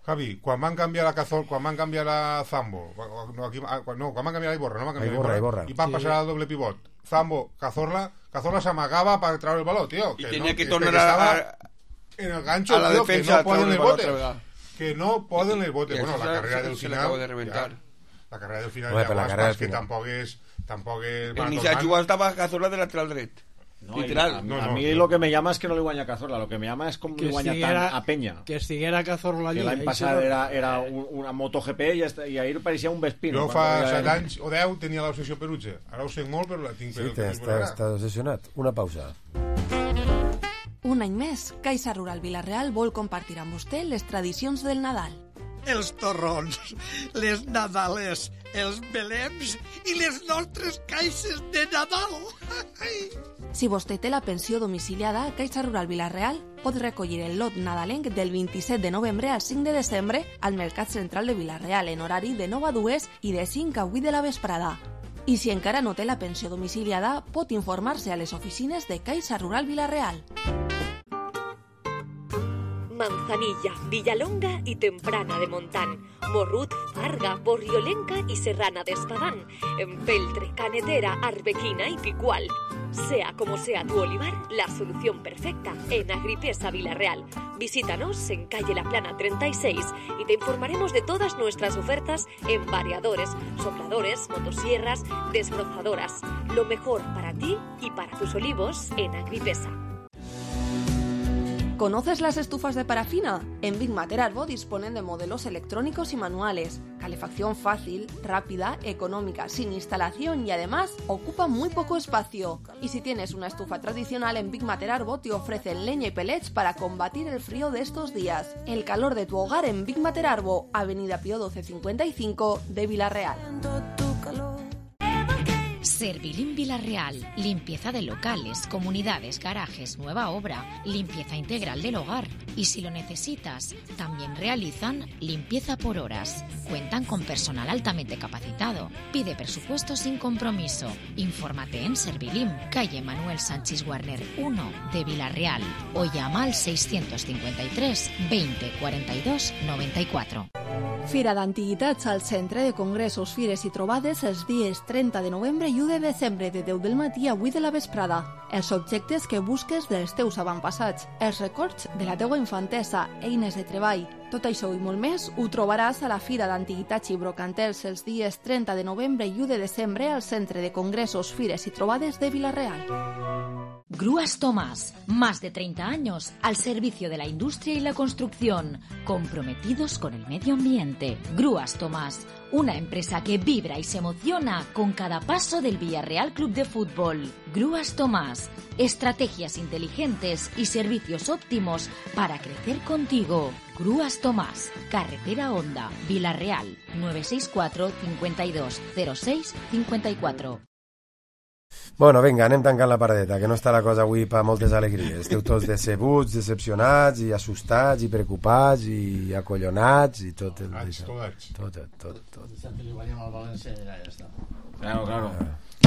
Javi, quan van canviar la Cazor, quan van canviar la Zambo, no, aquí, no quan van canviar la Iborra, no van canviar Iborra, la Iborra, Iborra. i van sí. passar al doble pivot. Zambo, Cazorla, Cazorla s'amagava per treure el baló, tio. I que tenia no, que tornar a... en el gancho, a la tío, defensa, que no poden les botes. Que no poden les botes. Bueno, la carrera del final... De reventar. Ja, la carrera del final bueno, ja la carrera que tampoc és... Tampoc és... El Nisha jugava estava Cazorla de lateral dret. No, literal. A, no, a no, mí no. lo que me llama es que no le guanya a Cazorla, lo que me llama es com li guanya tant a Peña. Que estiguera Cazorla allí. Que l'any passat era, era un, una MotoGP i, i ahir pareixia un Vespino. Jo fa set anys o deu tenia l'obsessió Perutge. Ara ho sé molt, però la tinc per... Sí, està, està obsessionat. Una pausa. Un any més, Caixa Rural Vila-real vol compartir amb vostè les tradicions del Nadal. Els torrons, les nadales, els belems i les nostres caixes de Nadal. Si vostè té la pensió domiciliada, Caixa Rural Vila-real pot recollir el lot nadalenc del vint-i-set de novembre al cinc de desembre al Mercat Central de Vila-real en horari de nou a dues i de cinc a vuit de la vesprada. I si encara no té la pensió domiciliada, pot informar-se a les oficines de Caixa Rural Vila-real. Manzanilla, Villalonga y Temprana de Montán, Morrut, Farga, Borriolenca y Serrana de Espadán, Empeltre, Canetera, Arbequina y Picual. Sea como sea tu olivar, la solución perfecta en Agripesa Vila-real. Visítanos en calle La Plana treinta y seis y te informaremos de todas nuestras ofertas en variadores, sopladores, motosierras, desbrozadoras. Lo mejor para ti y para tus olivos en Agripesa. ¿Conoces las estufas de parafina? En Big Mater Arbo disponen de modelos electrónicos y manuales, calefacción fácil, rápida, económica, sin instalación y además ocupa muy poco espacio. Y si tienes una estufa tradicional, en Big Mater Arbo te ofrecen leña y pellets para combatir el frío de estos días. El calor de tu hogar en Big Mater Arbo, Avenida Pío doce cincuenta y cinco de Vila-real. Servilim Vila-real, limpieza de locales, comunidades, garajes, nueva obra, limpieza integral del hogar. Y si lo necesitas, también realizan limpieza por horas. Cuentan con personal altamente capacitado. Pide presupuesto sin compromiso. Infórmate en Servilim, calle Manuel Sánchez Warner uno de Vila-real o llama al seiscientos cincuenta y tres veinte cuarenta y dos noventa y cuatro. Fira d'Antiguitats al Centre de Congressos, Fires i Trobades els dies trenta de novembre i u de desembre de deu del matí a vuit de la vesprada. Els objectes que busques dels teus avantpassats, els records de la teua infantesa, eines de treball. Tot això i molt més ho trobaràs a la Fira d'Antiguitats i Brocantels els dies trenta de novembre i u de desembre al Centre de Congressos, Fires i Trobades de Vila-real. Grúas Tomás, más de treinta años al servicio de la industria y la construcción, comprometidos con el medio ambiente. Grúas Tomás, una empresa que vibra y se emociona con cada paso del Villarreal Club de Fútbol. Grúas Tomás, estrategias inteligentes y servicios óptimos para crecer contigo. Grúas Tomás, Carretera Honda, Vila-real, nueve seis cuatro, cincuenta y dos, cero seis, cincuenta y cuatro. Bueno, vinga, anem tancant la paradeta, que no està la cosa avui per moltes alegries. Esteu tots decebuts, decepcionats, i assustats, i preocupats, i acollonats, i tot el... Tot, tot, tot, tot. Dissabte li guanyem al València i ja està. Claro, claro.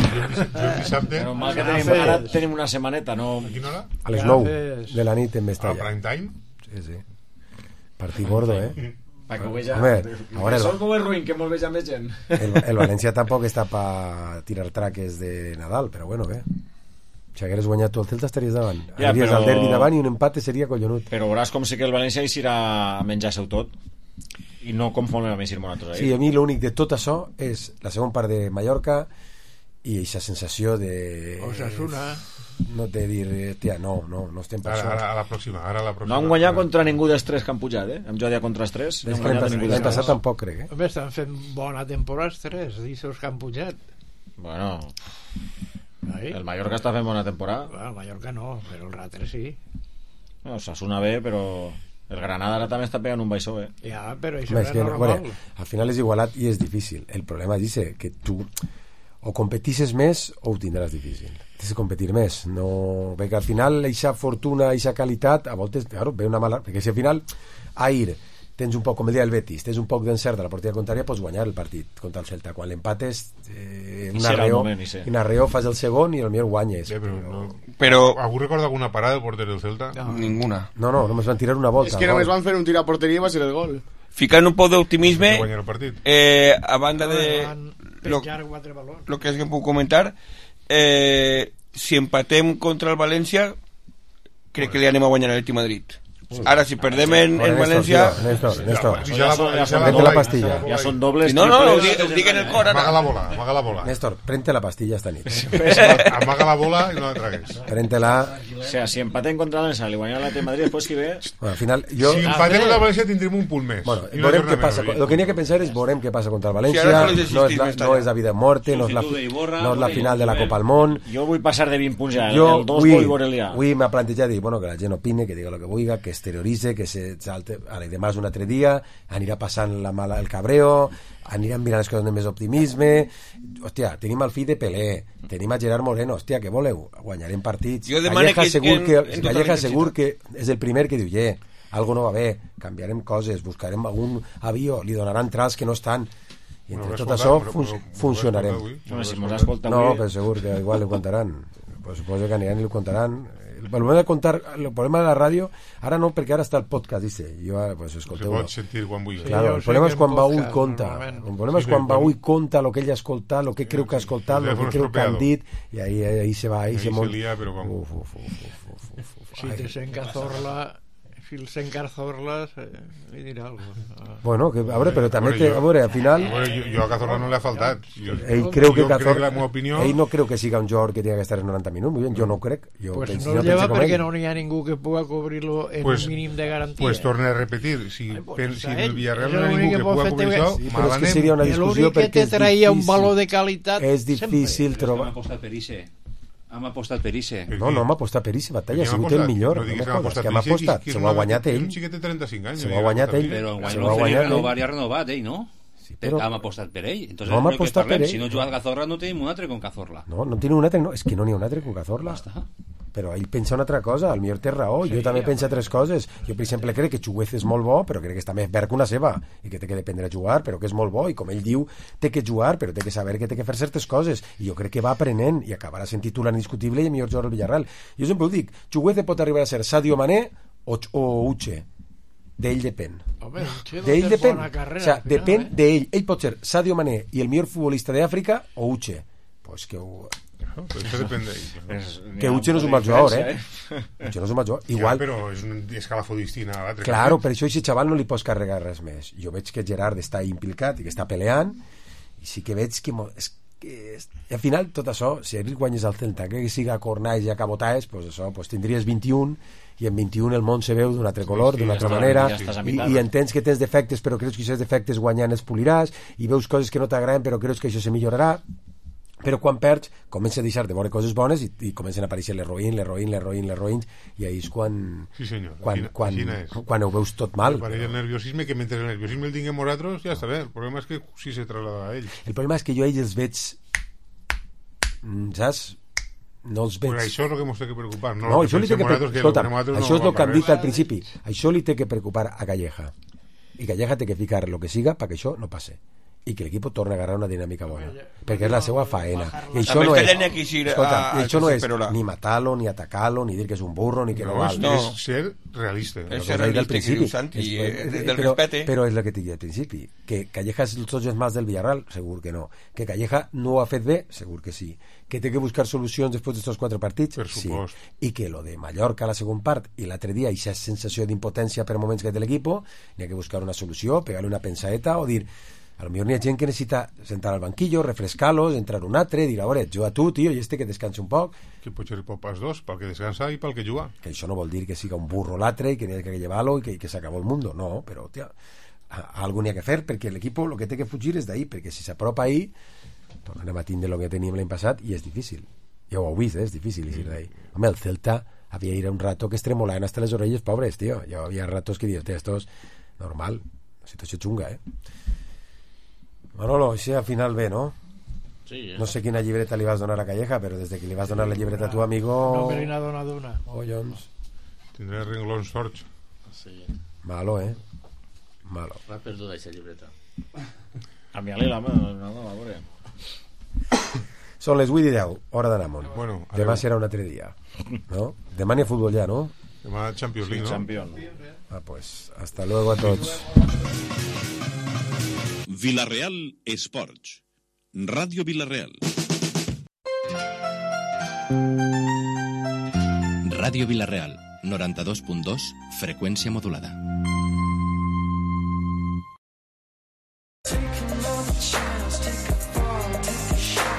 Jo dissabte... Però mal que tenim, ara tenim una setmaneta, no... A quina hora? A les nou de la nit en Mestalla. A prime time? Sí, sí. Partit gordo, eh? Pa que ho veja... Home, ahora Sol com és ruïn, que molt veja més gent. El, el València tampoc està per tirar traques de Nadal, però bueno, bé. Si hagueres guanyat tu el Celta estaries davant. Ja, Aniries però... al derbi davant i un empate seria collonut. Però veuràs com sí que el València eixirà a menjar-se-ho tot i no conforme a eixir nosaltres. Sí, a mi l'únic de tot això és la segona part de Mallorca i aquesta sensació de... Osasuna... No té dir, tia, no, no, no estem per ara, això. Ara, a la pròxima, ara a la pròxima. No han guanyat contra ningú dels tres que han pujat, eh? Hem jugat contra els tres. L'any passat tampoc, crec, eh? Home, estan fent bona temporada els tres, d'aixòs que han pujat. Bueno, Ahí. el Mallorca està fent bona temporada. Bueno, el Mallorca no, però el Rater sí. No, Osasuna bé, però el Granada ara també està pegant un baixó, eh? Ja, però això Home, és és que, normal. bueno, al final és igualat i és difícil. El problema és que tu o competisses més o ho tindràs difícil. Tens de competir més, no... perquè al final eixa fortuna, eixa qualitat a voltes, claro, ve una mala... perquè si al final a ir tens un poc, com el dia el Betis, tens un poc d'encert de la porteria contrària, pots guanyar el partit contra el Celta. Quan l'empates eh, un arreo, un arreo fas el segon i potser guanyes. Sí, però, no. Però... ¿Algú recorda alguna parada del porter del Celta? No. Ninguna. No, no, només van tirar una volta. És que només van fer un tir a porteria i va ser el gol. Ficant un poc d'optimisme, eh, a banda de... Lo, lo que es que puc comentar, eh, si empatem contra el València, crec que li anem a guanyar a l'Atlètic Madrid. Ara, si perdem en, en València... Néstor, Néstor, ja, ja, ja, prente la pastilla. Ja són dobles... No, no, ho dic, ho dic en el cor, ara. Amaga la bola, amaga la bola. Néstor, prente la pastilla esta nit. Amaga la bola i no la tragues. Prente-la... O sea, si empaten contra el Valencia, li guanyem l'Atlètic de Madrid, després qui ve... Bueno, al final, jo... Si empatem contra el València tindrem un punt més. Bueno, veurem què passa. Lo que n'hi ha que pensar és veurem què passa contra el València. No és, la, no és la vida o muerte, no és la, no és la final de la Copa al Món. Jo vull passar de vint punts ja. Jo el dos vull veure-li ja. Avui m'ha plantejat dir, bueno, que la gent opine, que diga el que vulgui, que exterioritze, que se salte. Ara, demà és un altre dia, anirà passant la mala, el cabreo, aniran mirant les coses amb més optimisme. Hòstia, tenim el fill de Pelé, tenim a Gerard Moreno, hòstia, què voleu? Guanyarem partits. Calleja segur que, Calleja segur que és el primer que diu, yeah, algo no va bé, canviarem coses, buscarem algun avió, li donaran trals que no estan, i entre tot això fun funcionarem. No, però segur que igual li contaran, pues suposo que aniran i li contaran. El problema de contar, el problema de la ràdio, ara no, perquè ara està el podcast, dice. Jo ara, pues, escolteu-ho. Se pot sentir quan vull. Claro, el problema és quan va ull conta. El problema és quan va ull conta el que ell ha escoltat, el que creu que ha escoltat, el que creu que han dit, i ahí, ahí se va, ahí se monta. Uf, uf, uf, uf. Si te s'encazorla... Si el s'encazorla, li dirà alguna cosa. Bueno, que, a veure, però també, que, a veure, al final... A veure, jo, jo a Cazorla no li ha faltat. Jo, ell creu que Cazorla... Ell no creu que siga un jugador que tiene que estar en noranta minuts, muy bien, jo no crec. Jo pues penso, no no lleva perquè no hi ha ningú que pugui cobrir-lo en pues, un mínim de garantia. Pues torna a repetir, si, Ay, pues, si el Villarreal no hi ha ningú que pugui cobrir això, sí, però és que seria una discussió perquè és te traia un valor de qualitat és difícil trobar. Hem apostat per Isse. No, no hem apostat per Isse, Batalla, ha sigut el millor. No diguis que hem apostat, hem apostat. Se ho ha guanyat ell. Un xiquet de trenta-cinc anys. Se ho ha guanyat ell. Però quan no feia renovar i ha renovat ell, no? Però hem apostat per ell. Entonces, no hem apostat per ell. Si no juga Cazorla, no tenim un altre con Cazorla. No, no tenim un altre, no. És que no n'hi ha un altre con Cazorla. Però ell pensa una altra cosa, al millor té raó. Jo també penso tres coses. Jo, per exemple, crec que Chuguez és molt bo, però crec que està més verd que una ceba, i que té que dependre a jugar, però que és molt bo, i com ell diu, té que jugar, però té que saber que té que fer certes coses. I jo crec que va aprenent, i acabarà sent titular indiscutible i el millor jugador del Villarreal. Jo sempre ho dic, Chuguez pot arribar a ser Sadio Mané o, o Uche. D'ell depèn. D'ell depèn. O sea, depèn d'ell. Ell pot ser Sadio Mané i el millor futbolista d'Àfrica o Uche. Pues que ho... No, però això depèn d'ell. Que Uche no és un mal jugador, eh? Uche no és un mal jugador. Igual... Ja, però és un escalafó distinta a l'altre. Claro, per això aquest xaval no li pots carregar res més. Jo veig que Gerard està implicat i que està peleant, i sí que veig que... És que és... I al final, tot això, si arribes guanyes al Celta, que siga Cornais i a Cabotaes, pues això, pues tindries vint-i-un, i en vint-i-un el món se veu d'un altre color, sí, sí, d'una altra manera, ja i, i entens que tens defectes, però creus que aquests defectes guanyant els poliràs, i veus coses que no t'agraden, però creus que això se millorarà. Però quan perds, comença a deixar de veure coses bones i, i comencen a aparèixer les roïns, les roïns, les roïns, les roïns, i ahí és quan, sí, senyor. quan, Quina, quan, quina quan ho veus tot mal. Apareix el nerviosisme, que mentre el nerviosisme el tinguem nosaltres, ja està bé. El problema és que sí se traslada a ell. El problema és que jo a ells els veig, saps? No els veig. Però això és el que ens té que preocupar. No, no això li té que preocupar. Escolta, no això és el que hem dit al principi. Això li té que preocupar a Calleja. I Calleja té que ficar el que siga perquè això no passe. I que l'equip torni a agarrar una dinàmica bona, perquè és la seva faena. I això no és, escolta, això no és ni matar-lo, ni atacar-lo, ni dir que és un burro, ni que no, no val. No, és ser realista. És ser realista, que diu Santi, del respecte. Però és el que t'he dit al principi, que Calleja és els ojos más del Villarreal, segur que no. Que Calleja no ho ha fet bé, segur que sí. Que té que buscar solucions després d'estos quatre partits, sí. I que lo de Mallorca a la segona part i l'altre dia, aquesta sensació d'impotència per moments que té l'equip, n'hi ha que buscar una solució, pegar-li una pensadeta o dir... A lo millor n'hi ha gent que necessita sentar al banquillo, refrescar-los, entrar un altre, dir, a veure, juga tu, tio, i este que descansa un poc. Que pot ser pot pas dos, pel que descansa i pel que juga. Que això no vol dir que siga un burro l'altre i que n'hi ha que llevar-lo i que, que s'acabó el mundo. No, però, tia, algo n'hi ha que fer, perquè l'equip el que té que fugir és d'ahí, perquè si s'apropa ahí, tornem a tindre el que teníem l'any passat i és difícil. Ja ho heu vist, eh? És difícil eixir d'ahí. Home, el Celta havia ir un rato que es tremolaven hasta les orelles, pobres, tio. Ja havia ratos que dius, esto es normal, una situació xunga, eh? Manolo, així al final bé, no? Sí, eh? No sé quina llibreta li vas donar a Calleja, però des de que li vas donar la llibreta a tu amigo... No me n'ha donat una. Collons. Tindré renglons sorts. Sí. Malo, eh? Malo. Va perduda aquesta llibreta. A mi ali la mà, no, no, a veure. Són les vuit i deu, hora d'anar amunt. Bueno, demà serà un altre dia, no? Demà n'hi ha futbol ja, no? Demà Champions League, sí, no? Champion. Ah, pues, hasta luego a tots. Villarreal Esports. Ràdio Villarreal. Ràdio Villarreal, noranta-dos punt dos, freqüència modulada. Take another chance, take a fall, take a shot.